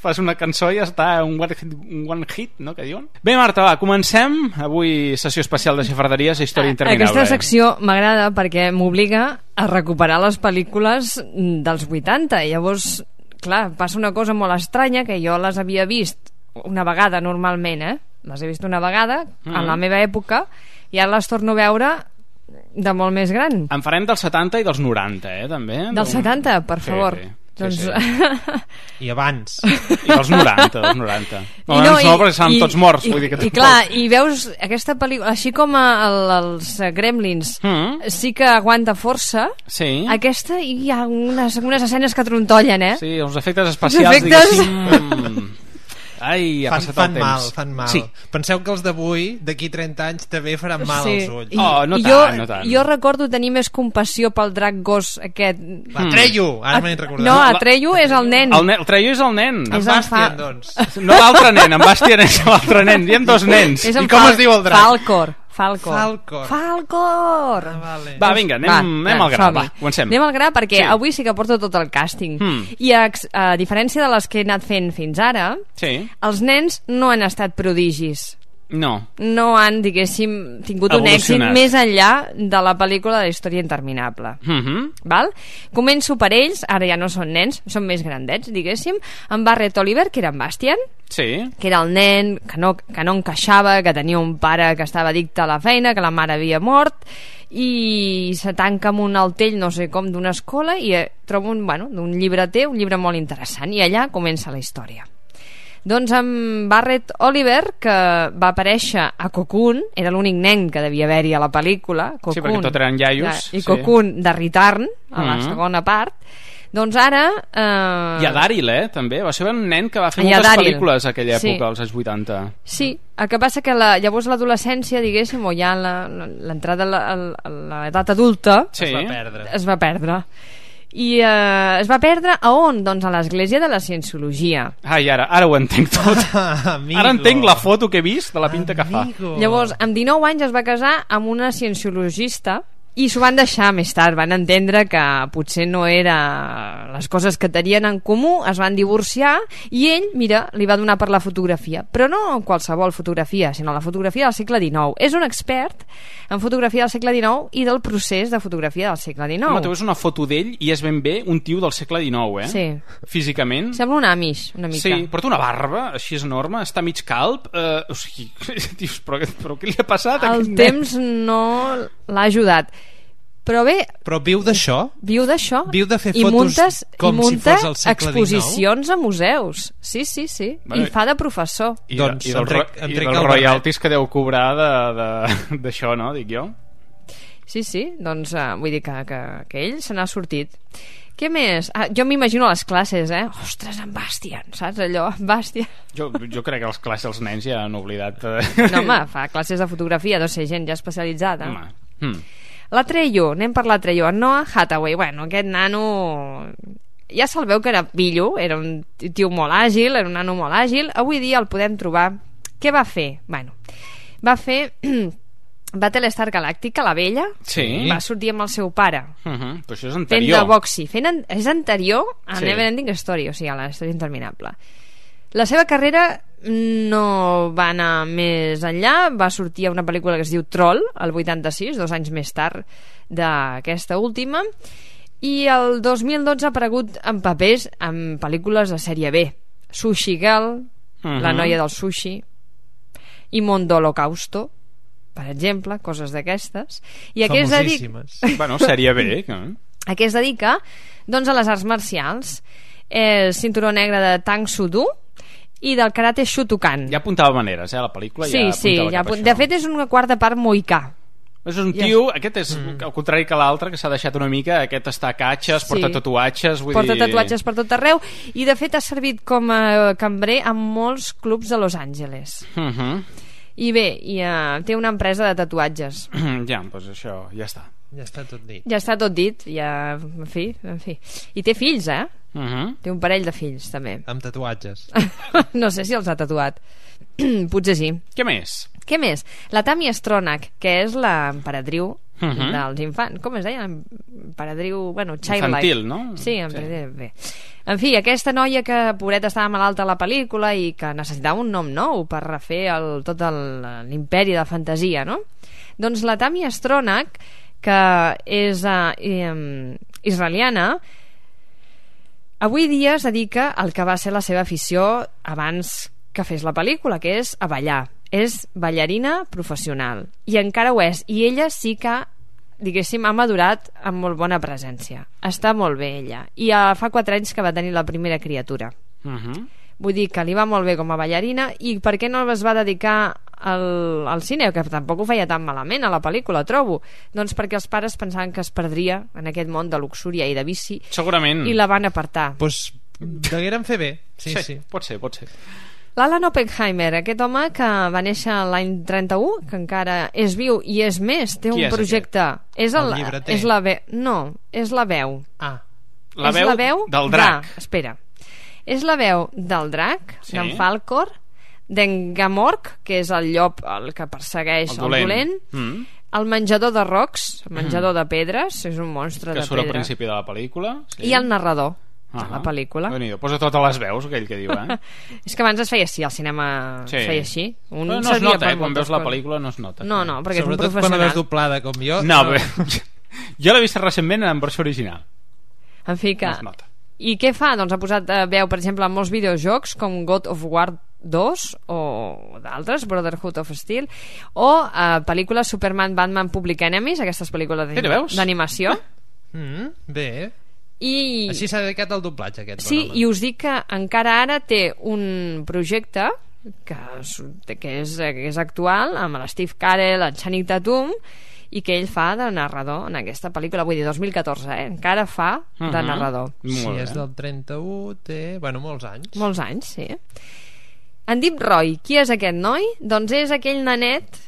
S3: Fas una cançó i ja està, un one hit, no?, que diuen. Bé, Marta, va, comencem. Avui sessió especial de xafarderies, història interminable.
S5: Aquesta secció m'agrada perquè m'obliga a recuperar les pel·lícules dels 80. Llavors, clar, passa una cosa molt estranya, que jo les havia vist una vegada normalment, les he vist una vegada en la meva època, i ara les torno a veure de molt més gran.
S3: En farem dels 70 i dels 90, també.
S5: Dels 70, per favor.
S3: Sí.
S5: Doncs...
S4: I abans.
S3: I dels 90. No, perquè estaven tots morts. Vull dir que
S5: I clar, i veus aquesta pel·lícula, així com els Gremlins, sí que aguanta força, aquesta hi ha unes escenes que trontollen,
S3: Sí, els efectes especials, diguéssim... Ai, ha passat el temps.
S4: Fan mal. Sí. Penseu que els d'avui, d'aquí 30 anys, també faran mal als ulls.
S3: No tant.
S5: Jo recordo tenir més compassió pel drac gos aquest.
S4: Atreyu, ara m'he recordat.
S5: No, Atreyu és el nen.
S3: Atreyu és el nen.
S4: En Bastian, doncs.
S3: No l'altre nen, en Bastian és l'altre nen. Hi ha dos nens.
S4: I com es diu el drac?
S5: Falcor.
S4: Vale.
S3: Va, vinga, anem al gra. Va, comencem.
S5: Anem al gra perquè avui sí que porto tot el càsting. I a diferència de les que he anat fent fins ara, els nens no han estat prodigis. No han, diguéssim, tingut un èxit més enllà de la pel·lícula de La història interminable. Val? Començo per ells, ara ja no són nens, són més grandets, diguéssim, en Barrett Oliver, que era en Bastian, que era el nen que no encaixava, que tenia un pare que estava addicte a la feina, que la mare havia mort, i se tanca amb un altell, no sé com, d'una escola, i troba un llibreter, un llibre molt interessant, i allà comença la història. Doncs amb Barrett Oliver, que va aparèixer a Cocoon, era l'únic nen que devia haver-hi a la pel·lícula, Cocoon,
S3: sí, perquè tot eren iaios,
S5: i Cocoon de Return, a la segona part. Doncs ara...
S3: I a Daryl, també, va ser un nen que va fer moltes pel·lícules a aquella època, als anys 80.
S5: Sí, el que passa que llavors l'adolescència, diguéssim, o ja l'entrada a l'edat adulta, es va perdre. I es va perdre a on? Doncs a l'església de la Cienciologia.
S3: Ai, ara ho entenc tot. Ara entenc la foto que he vist de la pinta que fa.
S5: Llavors, amb 19 anys es va casar amb una cienciologista i s'ho van deixar més tard, van entendre que potser no era les coses que tenien en comú, es van divorciar i ell, mira, li va donar per la fotografia, però no qualsevol fotografia, sinó la fotografia del segle XIX. És un expert en fotografia del segle XIX i del procés de fotografia del segle XIX.
S3: Home, tu veus una foto d'ell i és ben bé un tio del segle XIX,
S5: Sí.
S3: Físicament.
S5: Sembla un Amish, una mica.
S3: Sí, porta una barba així és enorme, està mig calb, o sigui, dius, però què li ha passat a aquest nen?
S5: El temps no l'ha ajudat. Però bé...
S4: Però viu d'això?
S5: Viu d'això.
S4: Viu de fer fotos com si fos el segle XIX?
S5: Exposicions a museus. Sí. I fa de professor.
S3: I dels royalties que deu cobrar d'això, no? Dic jo.
S5: Sí, doncs vull dir que ell se n'ha sortit. Què més? Jo m'imagino les classes, Ostres, en Bastian, saps allò? Bastian.
S3: Jo crec que les classes els nens ja han oblidat...
S5: No, home, fa classes de fotografia, deu ser gent ja especialitzada. L'Atreyu, anem per l'Atreyu. En Noah Hathaway, bueno, aquest nano... Ja se'l veu que era pillo, era un tio molt àgil, era un nano molt àgil. Avui dia el podem trobar... Què va fer? Bueno, va fer... Battlestar Galactica, la vella, va sortir amb el seu pare.
S3: Però això és anterior.
S5: Fent de boxi. És anterior a Neverending Story, o sigui, a la història interminable. La seva carrera no va anar més enllà, va sortir a una pel·lícula que es diu Troll, el 86, 2 anys més tard d'aquesta última, i el 2012 ha aparegut en papers en pel·lícules de sèrie B. Sushi Girl, La noia del sushi, i Mondo Holocausto, per exemple, coses d'aquestes. I a què es dedica?
S3: Bueno, sèrie B.
S5: A què es dedica? Doncs a les arts marcials. És cinturó negre de Tang Soo Do i del karate Shotokan.
S3: Ja apuntava maneres, la pel·lícula ja apuntava cap a això.
S5: De fet és una quarta part moicà.
S3: És un tio, aquest és al contrari que l'altre, que s'ha deixat una mica, aquest està a catxes, porta tatuatges,
S5: porta tatuatges per tot arreu, i de fet ha servit com a cambrer en molts clubs de Los Angeles. I bé, té una empresa de tatuatges.
S3: Ja, doncs això, ja està.
S4: Ja està tot dit.
S5: Ja està tot dit, en fi. I té fills, Té un parell de fills, també.
S4: Amb tatuatges.
S5: No sé si els ha tatuat. Potser sí.
S3: Què més?
S5: La Tammy Stronach, que és l'emperadriu dels infants. Com es deia? Emperadriu, bueno, childlike.
S3: Infantil, no?
S5: Sí, bé. En fi, aquesta noia que pobreta estava malalta a la pel·lícula i que necessitava un nom nou per refer tot l'imperi de fantasia, no? Doncs la Tammy Stronach, que és israeliana, avui dia es dedica al que va ser la seva afició abans que fes la pel·lícula, que és a ballar. És ballarina professional i encara ho és, i ella sí que diguéssim ha madurat amb molt bona presència, està molt bé ella, i fa 4 anys que va tenir la primera criatura. Vull dir que li va molt bé com a ballarina. I per què no es va dedicar al cine, que tampoc ho feia tan malament a la pel·lícula, trobo? Doncs perquè els pares pensaven que es perdria en aquest món de luxúria i de vici.
S3: Segurament.
S5: I la van apartar.
S4: Doncs degueren fer bé. Sí.
S3: Pot ser.
S5: L'Alan Oppenheimer, aquest home que va néixer l'any 31, que encara és viu i és més, té un projecte. És
S4: el llibreter?
S5: És la veu. No, és la veu.
S3: La veu del drac.
S5: Espera. És la veu del drac, d'en Falkor, d'en Gamorg, que és el llop el que persegueix el dolent, el menjador de rocs, el menjador de pedres, és un monstre de pedra.
S3: Que surt al principi de la pel·lícula.
S5: I el narrador de la pel·lícula.
S3: Posa totes les veus, aquell que diu,
S5: És que abans es feia així, al cinema es feia així.
S3: No es nota, quan veus la pel·lícula no es nota.
S5: No, perquè és un professional.
S4: Sobretot quan la veus doblada com jo.
S3: No, jo l'he vist recentment en versió original.
S5: En fi que... I què fa? Doncs ha posat veu, per exemple, en molts videojocs com God of War 2 o d'altres, Brotherhood of Steel, o pel·lícules Superman, Batman, Public Enemies, aquestes pel·lícules d'animació.
S4: Bé. Així s'ha dedicat al doblatge, aquest bon home.
S5: I us dic que encara ara té un projecte que és actual, amb l'Steve Carell, el Channing Tatum, i que ell fa de narrador en aquesta pel·lícula, vull dir 2014, encara fa de narrador.
S4: Sí, és del 31, té, molts anys.
S5: Molts anys, sí. En Deep Roy, qui és aquest noi? Doncs és aquell nanet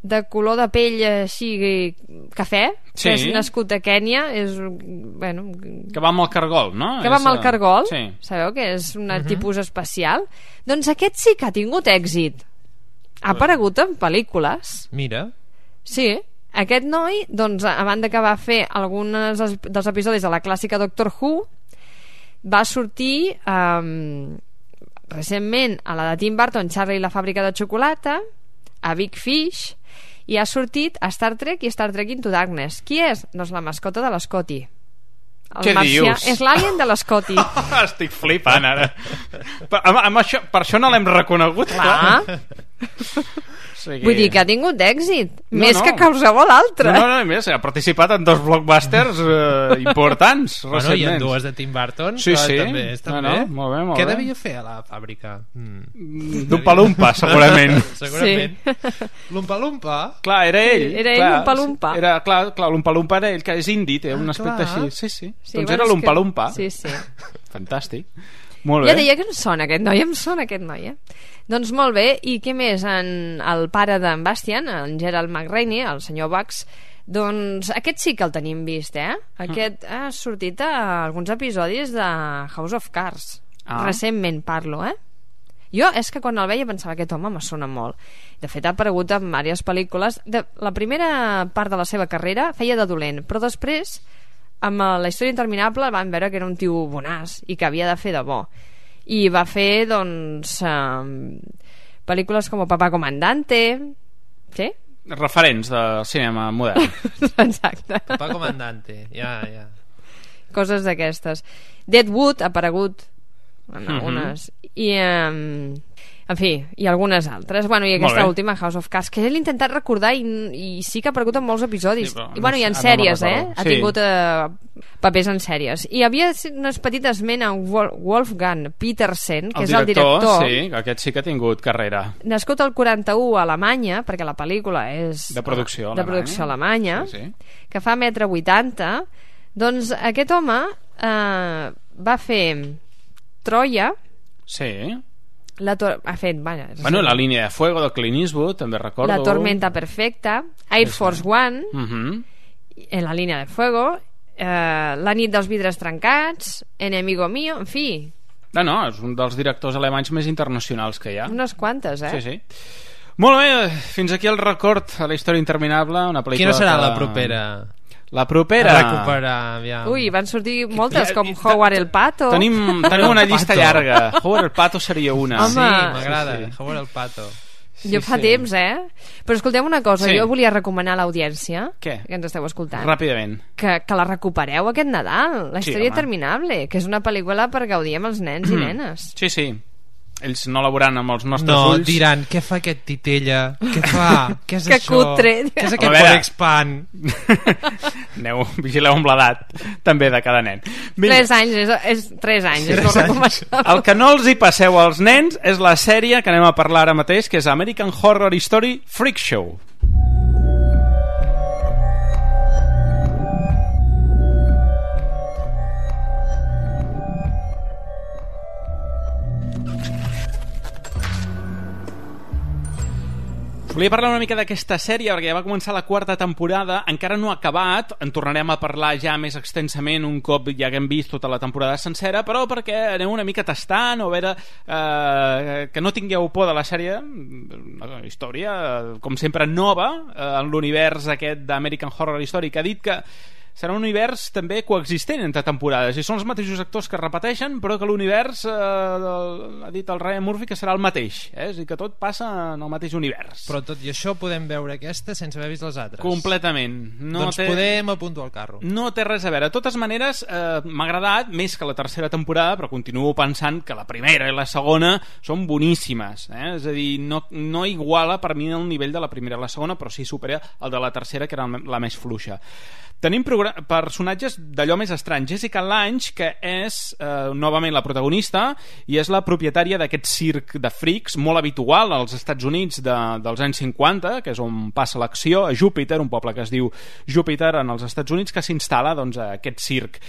S5: de color de pell així cafè, que és nascut a Kènia,
S3: que va amb el cargol, no?
S5: Que va amb el cargol, sabeu que és un tipus especial. Doncs aquest sí que ha tingut èxit, ha aparegut en pel·lícules.
S4: Mira.
S5: Sí, aquest noi, doncs, a banda que va fer alguns dels episodis de la clàssica Doctor Who, va sortir recentment a la de Tim Burton, Charlie i la fàbrica de xocolata, a Big Fish, i ha sortit a Star Trek i Star Trek Into Darkness. Qui és? Doncs la mascota de l'Scotty.
S3: Què dius?
S5: És l'alien de l'Scotty.
S3: Estic flipant ara. Per això no l'hem reconegut.
S5: Clar. Vull dir que ha tingut èxit, més que qualsevol altre.
S3: No, més, ha participat en 2 blockbusters importants recentment.
S4: I en 2 de Tim Burton,
S3: sí.
S4: també.
S3: Molt bé.
S4: Què devia fer a la fàbrica?
S3: L'Umpa-Lumpa, segurament.
S4: L'Umpa-Lumpa?
S3: Clar, era ell.
S5: Era ell l'Umpa-Lumpa.
S3: Clar, l'Umpa-Lumpa era ell, que és indi, té un aspecte així. Sí. Doncs era l'Umpa-Lumpa.
S5: Sí.
S3: Fantàstic. Molt bé.
S5: Ja deia que em sona aquest noi, Doncs molt bé, i què més? El pare d'en Bastian, en Gerald McRaney, el senyor Bugs, doncs aquest sí que el tenim vist, Aquest ha sortit a alguns episodis de House of Cards. Recentment parlo, Jo és que quan el veia pensava aquest home me sona molt. De fet ha aparegut en diverses pel·lícules. La primera part de la seva carrera feia de dolent, però després amb La història interminable van veure que era un tio bonaç i que havia de fer de bo, i va fer doncs pel·lícules com Papá Comandante, sí?
S3: Referents de cinema modern.
S5: Exacte.
S4: Papá Comandante, ja.
S5: Coses d'aquestes. Deadwood ha aparegut en algunes, i en fi, i algunes altres. I aquesta última, House of Cards, que l'he intentat recordar i sí que ha aparegut en molts episodis. I en sèries, ha tingut papers en sèries. I havia unes petites esment a Wolfgang Petersen, que és el director.
S3: Sí, aquest sí que ha tingut carrera.
S5: Nascut al 41 a Alemanya, perquè la pel·lícula és
S3: de producció
S5: alemanya, que fa 1,80 m. Doncs aquest home va fer Troia.
S3: Sí.
S5: Ha fet,
S3: la línia de fuego de Clint Eastwood, també recordo.
S5: La tormenta perfecta, Air Force One, en la línia de fuego, La nit dels vidres trencats, Enemigo mío, en fi.
S3: És un dels directors alemanys més internacionals que hi ha.
S5: Unes quantes,
S3: Sí. Molt bé, fins aquí el record a La història interminable, una pel·lícula.
S4: Quina serà la propera?
S3: La propera...
S4: A recuperar, ja.
S5: Ui, van sortir moltes, com Howard el Pato.
S3: Tenim una llista llarga. Howard el Pato seria una.
S5: Home.
S4: Sí, m'agrada, Howard el Pato.
S5: Jo fa temps, Però escolteu una cosa, jo volia recomanar a l'audiència, que ens esteu escoltant,
S3: ràpidament,
S5: que la recupereu aquest Nadal, La història interminable, que és una pel·lícula per gaudir amb els nens i nenes.
S3: Sí. Ells no la veuran amb els nostres ulls.
S4: No, diran, què fa aquest titella? Què fa? Què és
S5: això? Cutre.
S4: Què és aquest Forexpan?
S3: Vigileu amb l'edat també de cada nen.
S5: 3 anys, és 3 anys, és molt recomanable.
S3: El que no els hi passeu als nens és la sèrie que anem a parlar ara mateix, que és American Horror Story Freak Show. Volia parlar una mica d'aquesta sèrie perquè ja va començar la 4ª temporada, encara no ha acabat, en tornarem a parlar ja més extensament un cop ja haguem vist tota la temporada sencera, però perquè aneu una mica tastant o a veure que no tingueu por de la sèrie, una història com sempre nova en l'univers aquest d'American Horror Story, que ha dit que serà un univers també coexistent entre temporades i són els mateixos actors que repeteixen, però que l'univers ha dit el Ryan Murphy que serà el mateix, és a dir, que tot passa en el mateix univers.
S4: Però tot i això podem veure aquesta sense haver vist les altres.
S3: Completament.
S4: Podem apuntar al carro.
S3: No té res a veure. De totes maneres, m'ha agradat més que la 3ª temporada, però continuo pensant que la primera i la segona són boníssimes, és a dir, no iguala per mi el nivell de la primera i la segona, però sí supera el de la 3ª, que era la més fluixa. Tenim personatges d'allò més estrany. Jessica Lange, que és novament la protagonista i és la propietària d'aquest circ de frics molt habitual als Estats Units dels anys 50, que és on passa l'acció, a Júpiter, un poble que es diu Júpiter en els Estats Units, que s'instal·la a aquest circ.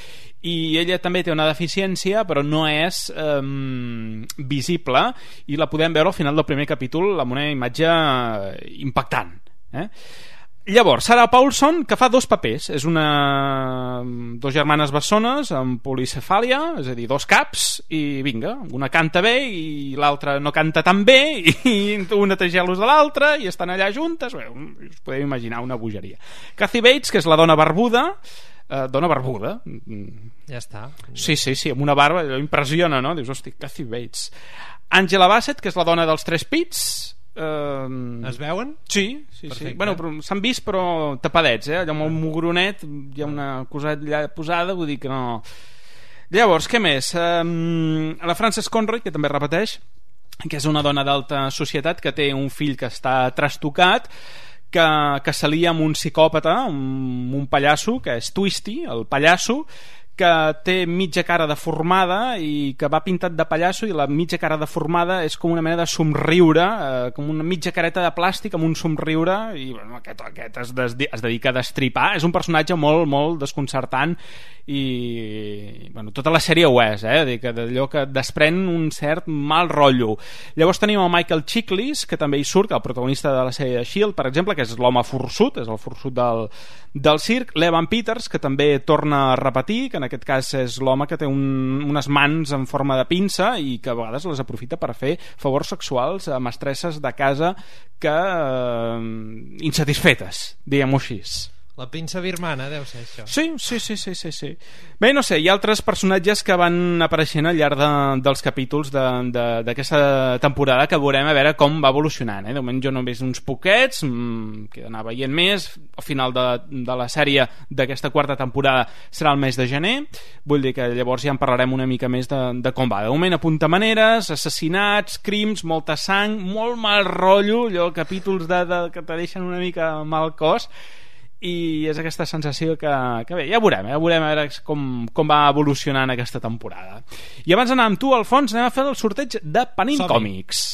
S3: I ella també té una deficiència, però no és visible, i la podem veure al final del primer capítol amb una imatge impactant. Llavors, Sarah Paulson, que fa 2 papers, és 2 germanes bessones amb policefàlia, és a dir, 2 caps, i vinga, una canta bé i l'altra no canta tan bé, i una té gelos de l'altra i estan allà juntes. Bé, us podeu imaginar una bogeria. Kathy Bates, que és la dona barbuda,
S4: ja està.
S3: Sí, amb una barba, allò impressiona, no? Dius, hosti, Kathy Bates. Angela Bassett, que és la dona dels 3 pits.
S4: Es veuen?
S3: Sí. Bueno, s'han vist però tapadets, allò amb el mugronet hi ha una coseta allà posada, vull dir que no. Llavors, què més? La Frances Conroy, que també repeteix, que és una dona d'alta societat que té un fill que està trastocat, que s'alia amb un psicòpata, un pallasso, que és Twisty, el pallasso, que té mitja cara deformada i que va pintat de pallasso, i la mitja cara deformada és com una mena de somriure, com una mitja careta de plàstic amb un somriure, i bueno, aquest es dedica a destripar. És un personatge molt, molt desconcertant, i bueno, tota la sèrie ho és, d'allò que desprèn un cert mal rotllo. Llavors tenim el Michael Chiklis, que també hi surt, el protagonista de la sèrie de S.H.I.E.L.D., per exemple, que és l'home forçut, és el forçut del circ. L'Evan Peters, que també torna a repetir, que en aquest cas és l'home que té unes mans en forma de pinça i que a vegades les aprofita per fer favors sexuals a mestresses de casa que insatisfetes, diguem-ho així.
S4: La pinça birmana deu ser això.
S3: Sí. Bé, no sé, hi ha altres personatges que van apareixent al llarg dels capítols d'aquesta temporada, que veurem a veure com va evolucionant. De moment jo no he vist uns poquets, que he d'anar veient més. Al final de la sèrie d'aquesta quarta temporada serà el mes de gener, vull dir que llavors ja en parlarem una mica més de com va. De moment apunta maneres, assassinats, crims, molta sang, molt mal rotllo, allò, capítols que te deixen una mica mal cos, i és aquesta sensació que bé, ja veurem a veure com va evolucionant aquesta temporada. I abans d'anar amb tu, Alfons, anem a fer el sorteig de Panini Còmics.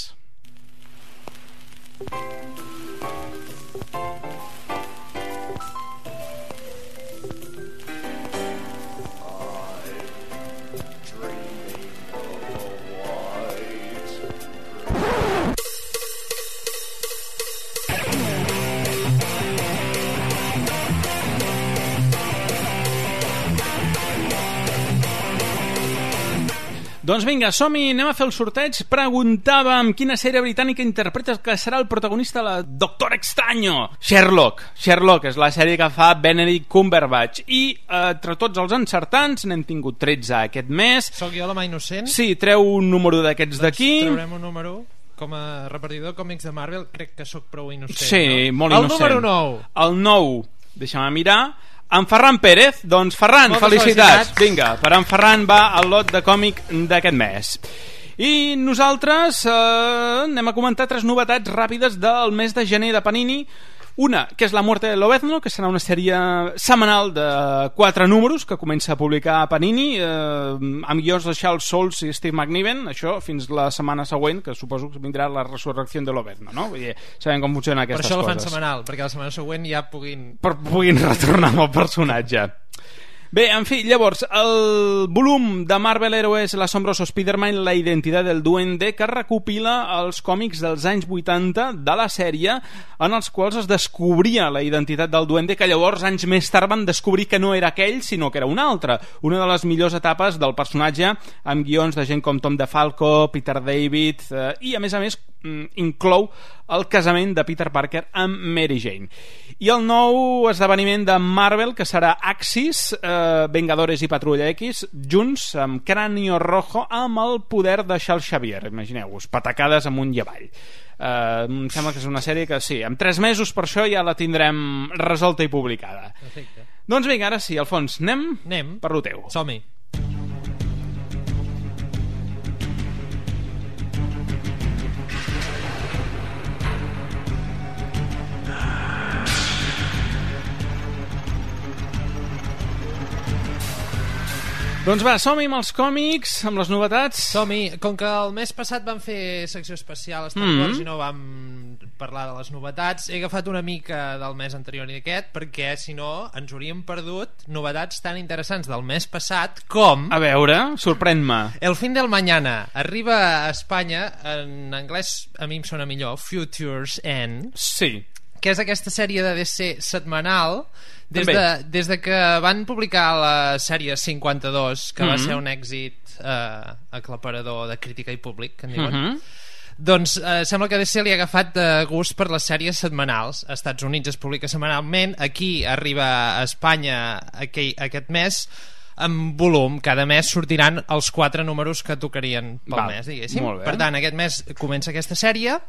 S3: Doncs vinga, som-hi, anem a fer el sorteig. Preguntàvem quina sèrie britànica interpretes que serà el protagonista de la Doctor Extraño. Sherlock és la sèrie que fa Benedict Cumberbatch. I entre tots els encertants n'hem tingut 13 aquest mes.
S4: Soc jo la mà innocent?
S3: Sí, treu un número d'aquests d'aquí.
S4: Traurem un número. Com a repartidor de còmics de Marvel crec que sóc prou innocent.
S3: Sí,
S4: no?
S3: molt innocent.
S4: El número 9.
S3: El 9, deixa'm mirar. En Ferran Pérez, doncs Ferran, felicitats. Vinga, per en Ferran va el lot de còmic d'aquest mes. I nosaltres anem a comentar 3 novetats ràpides del mes de gener de Panini. Una, que és La muerte de Lobezno, que serà una sèrie setmanal de 4 números que comença a publicar a Panini, amb guions de Charles Soule i Steve McNiven, això fins la setmana següent, que suposo que vindrà la resurrecció de Lobezno, no? Vull dir, sabem com funcionen aquestes coses.
S4: Per això la fan setmanal, perquè la setmana següent ja
S3: puguin retornar amb el personatge. Bé, en fi, llavors, el volum de Marvel Heroes l'Asombroso Spider-Man, la identitat del duende, que recopila els còmics dels anys 80 de la sèrie, en els quals es descobria la identitat del duende, que llavors anys més tard van descobrir que no era aquell, sinó que era un altre. Una de les millors etapes del personatge, amb guions de gent com Tom DeFalco, Peter David, i a més inclou el casament de Peter Parker amb Mary Jane. I el nou esdeveniment de Marvel, que serà Axis, Vengadores i Patrulla X, junts amb Cráneo Rojo, amb el poder de Charles Xavier. Imagineu-vos, patacades amunt i avall. Em sembla que és una sèrie que sí, en 3 mesos per això ja la tindrem resolta i publicada.
S4: Perfecte.
S3: Doncs vinga, ara sí, Alfons, anem per lo teu.
S4: Som-hi.
S3: Doncs va, som-hi amb els còmics, amb les novetats.
S4: Som-hi. Com que el mes passat vam fer secció especial a Star Wars i no vam parlar de les novetats, he agafat una mica del mes anterior i aquest, perquè si no ens hauríem perdut novetats tan interessants del mes passat com...
S3: A veure, sorprèn-me.
S4: El fin del mañana arriba a Espanya, en anglès a mi em sona millor, Futures End.
S3: Sí.
S4: Que és aquesta sèrie de DC setmanal des de que van publicar la sèrie 52, que va ser un èxit aclaparador de crítica i públic, que en diuen. Doncs sembla que DC li ha agafat gust per les sèries setmanals. Als Estats Units es publica setmanalment, aquí arriba a Espanya aquest mes en volum. Cada mes sortiran els 4 números que tocarien pel mes, diguéssim. Per tant, aquest mes comença aquesta sèrie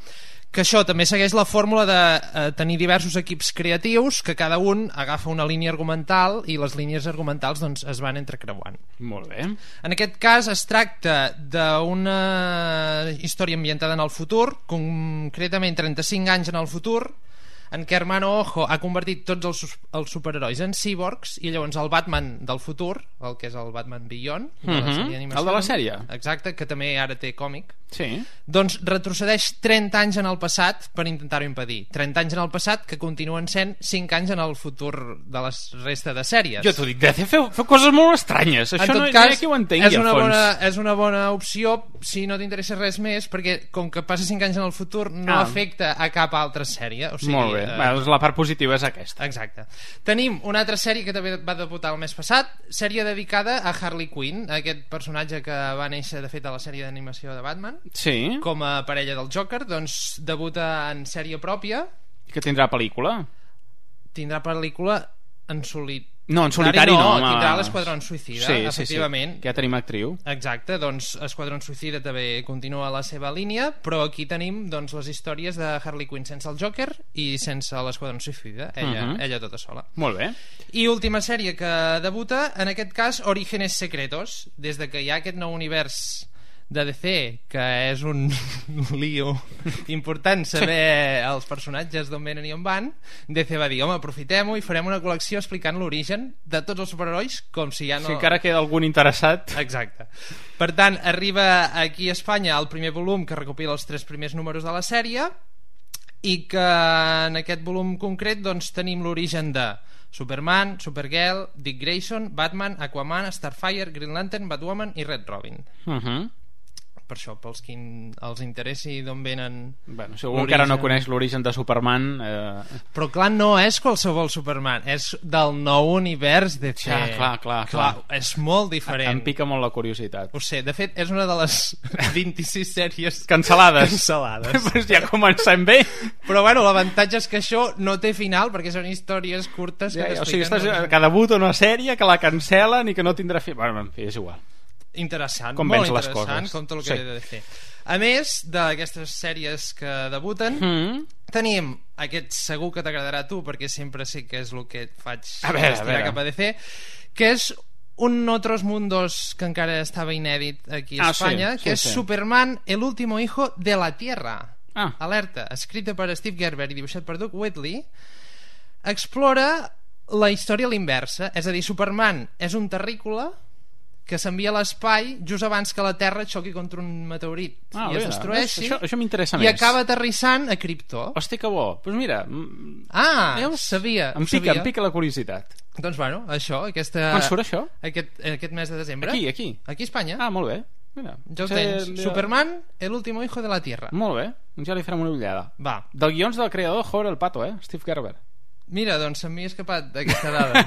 S4: que això també segueix la fórmula de tenir diversos equips creatius que cada un agafa una línia argumental i les línies argumentals doncs, es van entrecreuant.
S3: Molt bé.
S4: En aquest cas es tracta d'una història ambientada en el futur, concretament 35 anys en el futur, en què Hermano Ojo ha convertit tots els superherois en cíborgs, i llavors el Batman del futur, el que és el Batman Beyond de la sèrie d'animació,
S3: el de la sèrie,
S4: exacte, que també ara té còmic,
S3: sí,
S4: doncs retrocedeix 30 anys en el passat per intentar-ho impedir. 30 anys en el passat que continuen sent 5 anys en el futur de la resta de sèries.
S3: Jo t'ho dic, DC feu coses molt estranyes, això no hi ha qui ho entengui a fons.
S4: És una bona opció si no t'interessa res més, perquè com que passa 5 anys en el futur no afecta a cap altra sèrie, o sigui,
S3: molt bé. La part positiva és aquesta.
S4: Exacte. Tenim una altra sèrie que també va debutar el mes passat, sèrie dedicada a Harley Quinn, aquest personatge que va néixer de fet a la sèrie d'animació de Batman,
S3: sí,
S4: com a parella del Joker, doncs debuta en sèrie pròpia.
S3: I que tindrà pel·lícula?
S4: Tindrà pel·lícula en solitari.
S3: No, en solitari no.
S4: Tindrà l'Esquadrón Suïcida, efectivament.
S3: Sí, que ja tenim actriu.
S4: Exacte, doncs Esquadrón Suïcida també continua la seva línia, però aquí tenim doncs, les històries de Harley Quinn sense el Joker i sense l'Esquadrón Suïcida, ella tota sola.
S3: Molt bé.
S4: I última sèrie que debuta, en aquest cas Orígenes Secretos, des de que hi ha aquest nou univers de DC, que és un lío important saber els personatges d'on venen i on van, DC va dir, home, aprofitem-ho i farem una col·lecció explicant l'origen de tots els superherois, com si ja no...
S3: Si encara queda algun interessat.
S4: Exacte. Per tant, arriba aquí a Espanya el primer volum que recopila els 3 primers números de la sèrie, i que en aquest volum concret doncs, tenim l'origen de Superman, Supergirl, Dick Grayson, Batman, Aquaman, Starfire, Green Lantern, Batwoman i Red Robin. Per això, pels qui els interessi d'on venen...
S3: Bueno, si algú encara no coneix l'origen de Superman...
S4: Però clar, no és qualsevol Superman, és del nou univers de
S3: ja, clar.
S4: És molt diferent.
S3: Em pica molt la curiositat.
S4: Ho sé, de fet, és una de les 26 sèries
S3: cancel·lades. Pues ja comencem bé.
S4: Però bueno, l'avantatge és que això no té final, perquè són històries curtes que
S3: o sigui, que debuta una sèrie, que la cancel·len i que no tindrà fi. Bueno, en fi, és igual.
S4: Interessant,
S3: com
S4: molt interessant, com tot el que he de fer. A més d'aquestes sèries que debuten, tenim aquest, segur que t'agradarà a tu, perquè sempre sé que és el que et faig estirar cap a DC, que és un Otros Mundos que encara estava inèdit aquí a Espanya, que és Superman, el último hijo de la Tierra. Alerta, escrita per Steve Gerber i dibuixat per Doug Whitley, explora la història a l'inversa, és a dir, Superman és un terrícola que s'envia a l'espai just abans que la Terra xoqui contra un meteorit i es destrueixi,
S3: això m'interessa
S4: i
S3: més.
S4: Acaba aterrissant a Krypto.
S3: Hòstia, que bo. Doncs mira,
S4: sabia.
S3: Em pica la curiositat.
S4: Doncs bueno, això,
S3: quan surt això?
S4: Aquest mes de desembre.
S3: Aquí
S4: a Espanya.
S3: Molt bé. Mira,
S4: ja ho tens. Superman, el último hijo de la Tierra.
S3: Molt bé, ja li farem una ullada.
S4: Va.
S3: Del guions del creador Jorge el Pato, Steve Gerber.
S4: Mira, doncs se m'hi ha escapat aquesta dada.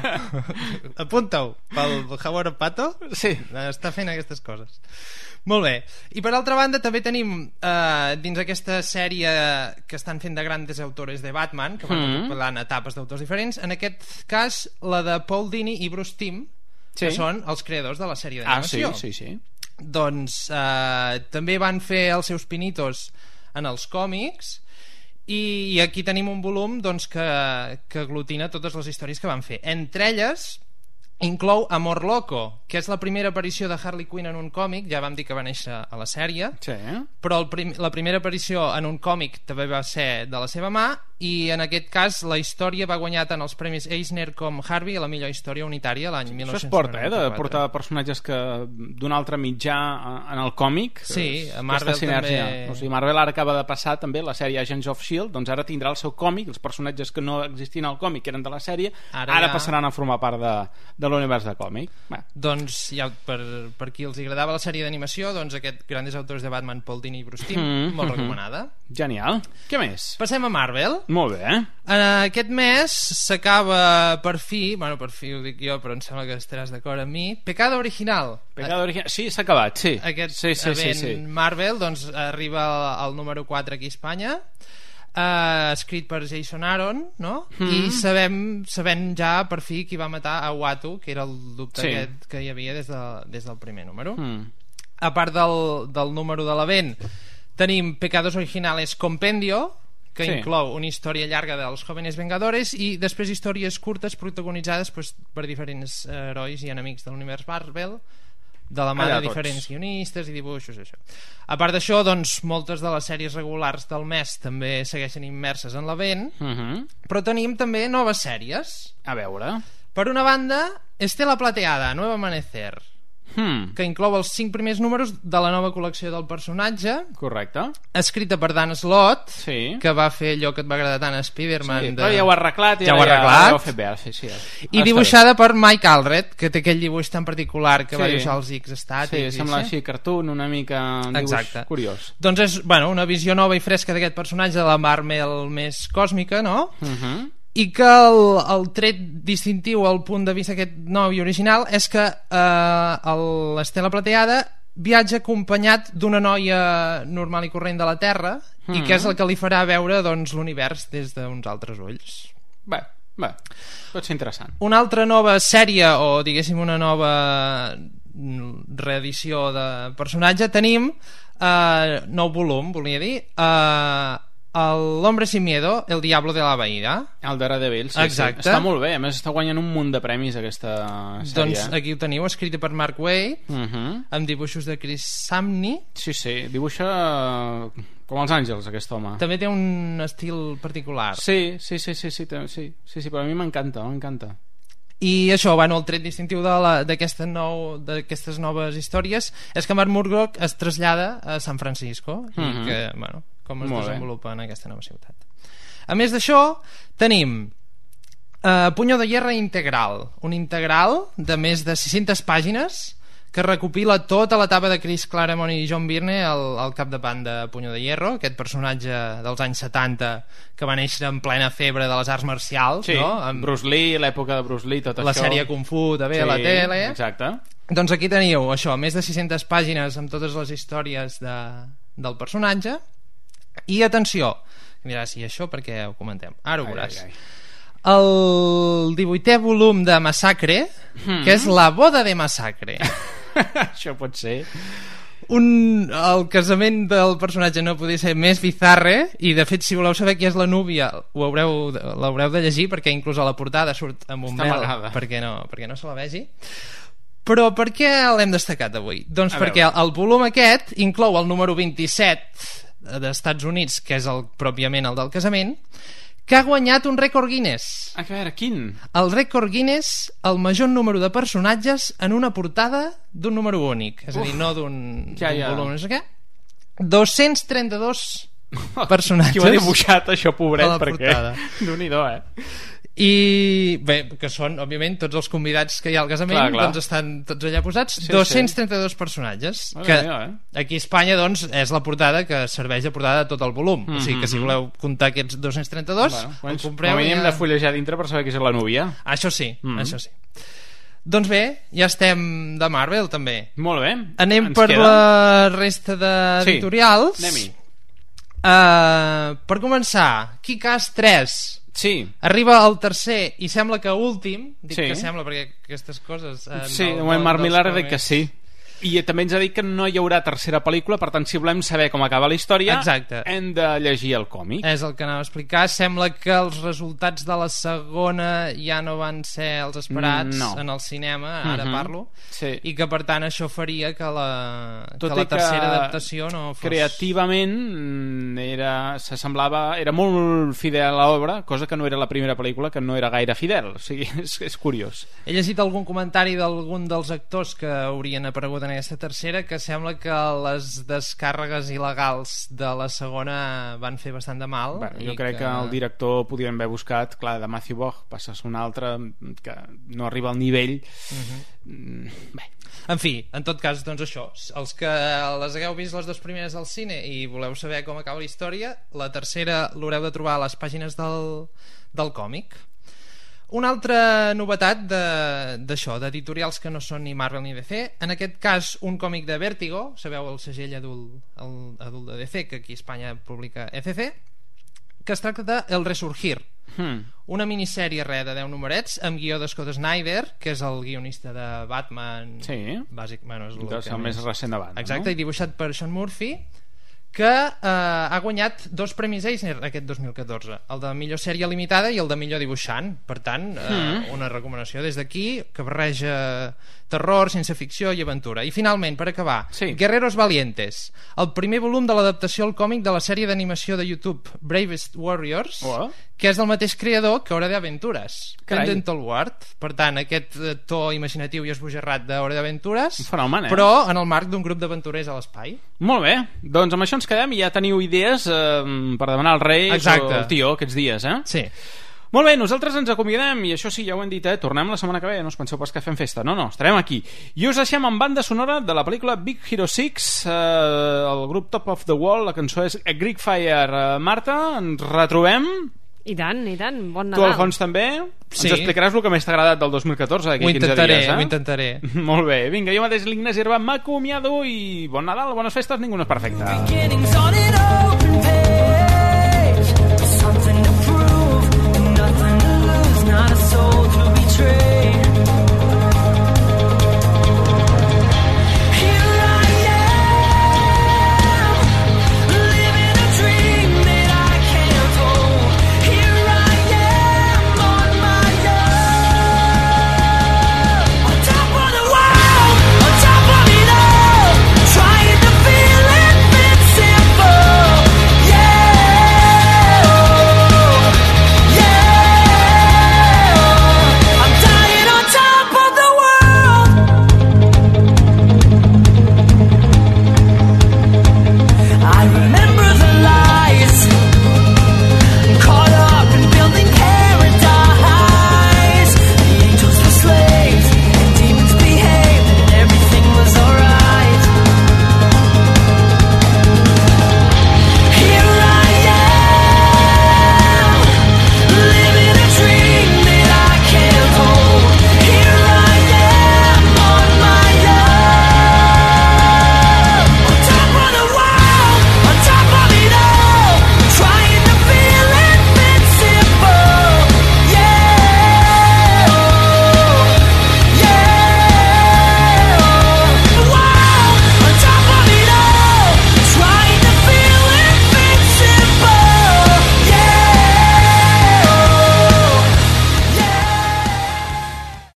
S4: Apunta-ho, pel Howard el Pato.
S3: Sí.
S4: Està fent aquestes coses. Molt bé. I per altra banda també tenim dins aquesta sèrie que estan fent de grandes autores de Batman, que van recopilant etapes d'autors diferents, en aquest cas la de Paul Dini i Bruce Timm, que són els creadors de la sèrie d'animació.
S3: Sí.
S4: Doncs també van fer els seus pinitos en els còmics, i aquí tenim un volum doncs, que aglutina totes les històries que van fer. Entre elles inclou Amor Loco, que és la primera aparició de Harley Quinn en un còmic. Ja vam dir que va néixer a la sèrie, però la primera aparició en un còmic també va ser de la seva mà, i en aquest cas la història va guanyar tant els premis Eisner com Harvey a la millor història unitària l'any 1994.
S3: Això es porta, de portar personatges d'un altre mitjà en el còmic.
S4: Sí, a Marvel també.
S3: O sigui, Marvel ara acaba de passar també la sèrie Agents of S.H.I.E.L.D., doncs ara tindrà el seu còmic, els personatges que no existien al còmic, que eren de la sèrie, ara passaran a formar part de l'univers de còmic.
S4: Doncs ja per qui els agradava la sèrie d'animació, doncs aquest Grandes Autores de Batman, Paul Dini i Bruce Timm, molt recomanada.
S3: Genial. Què més?
S4: Passem a Marvel.
S3: Molt bé.
S4: Aquest mes s'acaba per fi ho dic jo, però em sembla que estaràs d'acord amb mi, Pecado Original.
S3: Sí, s'ha acabat, sí.
S4: Aquest event Marvel doncs arriba al número 4 aquí a Espanya, escrit per Jason Aaron, no? I sabem ja per fi qui va matar a Uatu, que era el dubte aquest que hi havia des del primer número. A part del número de l'event, Tenim Pecados Originales Compendio, que
S3: Sí.
S4: inclou una història llarga dels Jóvenes Vengadores i després històries curtes protagonitzades per diferents herois i enemics de l'univers Marvel, de la mà
S3: Allà
S4: de
S3: tots.
S4: diferents guionistes i dibuixos, això. A part d'això, doncs, moltes de les sèries regulars del mes també segueixen immerses en l'event, però tenim també noves sèries.
S3: A veure...
S4: Per una banda, Estela Plateada, Nuevo Amanecer, que inclou els 5 primers números de la nova col·lecció del personatge.
S3: Correcte.
S4: Escrita per Dan Slott,
S3: Sí.
S4: que va fer allò que et va agradar tant a Spider-Man.
S3: Sí, però ja ho ha arreglat.
S4: Ja ho ha arreglat.
S3: Ja ho ha fet bé. Sí.
S4: I dibuixada per Mike Allred, que té aquell dibuix tan particular que va dibuixar els X estàtics.
S3: Sí, sembla així cartoon, una mica un dibuix curiós.
S4: Doncs és una visió nova i fresca d'aquest personatge de la Marvel més còsmica, no? I que el tret distintiu al punt de vista aquest nou i original és que l'Estela Plateada viatja acompanyat d'una noia normal i corrent de la Terra i que és el que li farà veure doncs, l'univers des d'uns altres ulls.
S3: Bé, pot ser interessant.
S4: Una altra nova sèrie o diguéssim una nova reedició de personatge tenim nou volum, volia dir, L'Hombre Sin Miedo, El Diablo de la Bahía.
S3: El Daredevil, sí.
S4: Exacte.
S3: Està molt bé, a més està guanyant un munt de premis aquesta sèrie.
S4: Doncs aquí ho teniu, escrita per Mark Waid, amb dibuixos de Chris Samney.
S3: Sí, dibuixa com els àngels aquest home.
S4: També té un estil particular.
S3: Sí, però a mi m'encanta.
S4: I això, el tret distintiu d'aquestes noves històries és que Mark Murdock es trasllada a San Francisco i que, com es desenvolupa en aquesta nova ciutat. A més d'això, tenim Puño de Hierro Integral, un integral de més de 600 pàgines que recopila tota l'etapa de Chris Claremont i John Byrne al capdavant de Puño de Hierro, aquest personatge dels anys 70 que va néixer en plena febre de les arts marcials, no? Amb
S3: Bruce Lee, l'època de Bruce Lee, tot
S4: la
S3: això.
S4: La sèrie Kung Fu també a la tele.
S3: Exacte.
S4: Doncs aquí teniu això, més de 600 pàgines amb totes les històries del personatge. I atenció, diràs, i això perquè ho comentem? Ara ho veuràs. El 18è volum de Massacre, que és La boda de Massacre.
S3: Això pot ser.
S4: El casament del personatge no podia ser més bizarre, i de fet si voleu saber qui és la núvia l'haureu de llegir, perquè inclús a la portada surt amb un vel perquè no se la vegi. Però per què l'hem destacat avui? Doncs perquè el volum aquest inclou el número 27 d'Estats Units, que és pròpiament el del casament, que ha guanyat un rècord Guinness.
S3: A veure, quin?
S4: El rècord Guinness, el major número de personatges en una portada d'un número únic. És a dir, no d'un volum, no sé què. 232 personatges.
S3: Qui ho ha dibuixat, això, pobret, perquè...
S4: Déu-n'hi-do, I bé, que són òbviament tots els convidats que hi ha al casament, doncs estan tots allà posats. 232 personatges que aquí a Espanya doncs és la portada que serveix de portada de tot el volum, o sigui que si voleu comptar aquests 232 el compreu.
S3: Com hem de fullejar dintre per saber qui és la núvia.
S4: Això sí. Doncs bé, ja estem de Marvel també.
S3: Molt bé.
S4: Anem per la resta d'editorials.
S3: Anem-hi.
S4: Per començar, Kick-Ass 3 arriba al tercer i sembla que últim, dic que sembla perquè aquestes coses
S3: Mark Millar ha dit que sí, i també ens ha dit que no hi haurà tercera pel·lícula, per tant si volem saber com acaba la història hem de llegir el còmic.
S4: És el que anava a explicar. Sembla que els resultats de la segona ja no van ser els esperats en el cinema, ara parlo, i que per tant això faria que la tercera adaptació no fos...
S3: Creativament era molt fidel a l'obra, cosa que no era la primera pel·lícula, que no era gaire fidel, o sigui, és curiós.
S4: He llegit algun comentari d'algun dels actors que haurien aparegut en aquesta tercera, que sembla que les descàrregues il·legals de la segona van fer bastant de mal.
S3: Jo crec que el director podien haver buscat, clar, de Matthew Vaughn passes un altre que no arriba al nivell. Bé,
S4: en fi, en tot cas, doncs això, els que les hagueu vist les dues primeres al cine i voleu saber com acaba la història, la tercera l'haureu de trobar a les pàgines del còmic. Una altra novetat d'això, d'editorials que no són ni Marvel ni DC, en aquest cas un còmic de Vértigo, sabeu el segell adult de DC, que aquí a Espanya publica ECC, que es tracta de El Resurgir, una minissèrie de 10 numerets amb guió de Scott Snyder, que és el guionista de Batman,
S3: és el més recent de Batman,
S4: exacte, i dibuixat per Sean Murphy, que ha guanyat 2 premis Eisner aquest 2014, el de millor sèrie limitada i el de millor dibuixant. Per tant, una recomanació des d'aquí, que barreja terror, ciència ficció i aventura. I finalment, per acabar, Guerreros Valientes, el primer volum de l'adaptació al còmic de la sèrie d'animació de YouTube Bravest Warriors, que és del mateix creador que Hora de Aventuras, Pendleton Ward. Per tant, aquest to imaginatiu i esbojarrat d'Hora de Aventuras, però en el marc d'un grup d'aventurers a l'espai.
S3: Molt bé, doncs amb això ens quedem i ja teniu idees per demanar als Reis o al tio aquests dies,
S4: Sí.
S3: Molt bé, nosaltres ens acomiadem i això sí, ja ho hem dit, tornem la setmana que ve, no us penseu pas que fem festa, no, estarem aquí i us deixem amb banda sonora de la pel·lícula Big Hero 6, el grup Top of the Wall, la cançó és A Greek Fire. Marta, ens retrobem?
S5: I tant, bon Nadal.
S3: Tu, Alfons, també? Sí. Ens explicaràs el que més t'ha agradat del 2014 d'aquí 15 dies,
S4: Ho intentaré.
S3: Molt bé, vinga, jo mateix l'Ignasi Herba m'acomiado i bon Nadal, bones festes, ningú no és perfecte. Something to prove, nothing to lose, not a soul to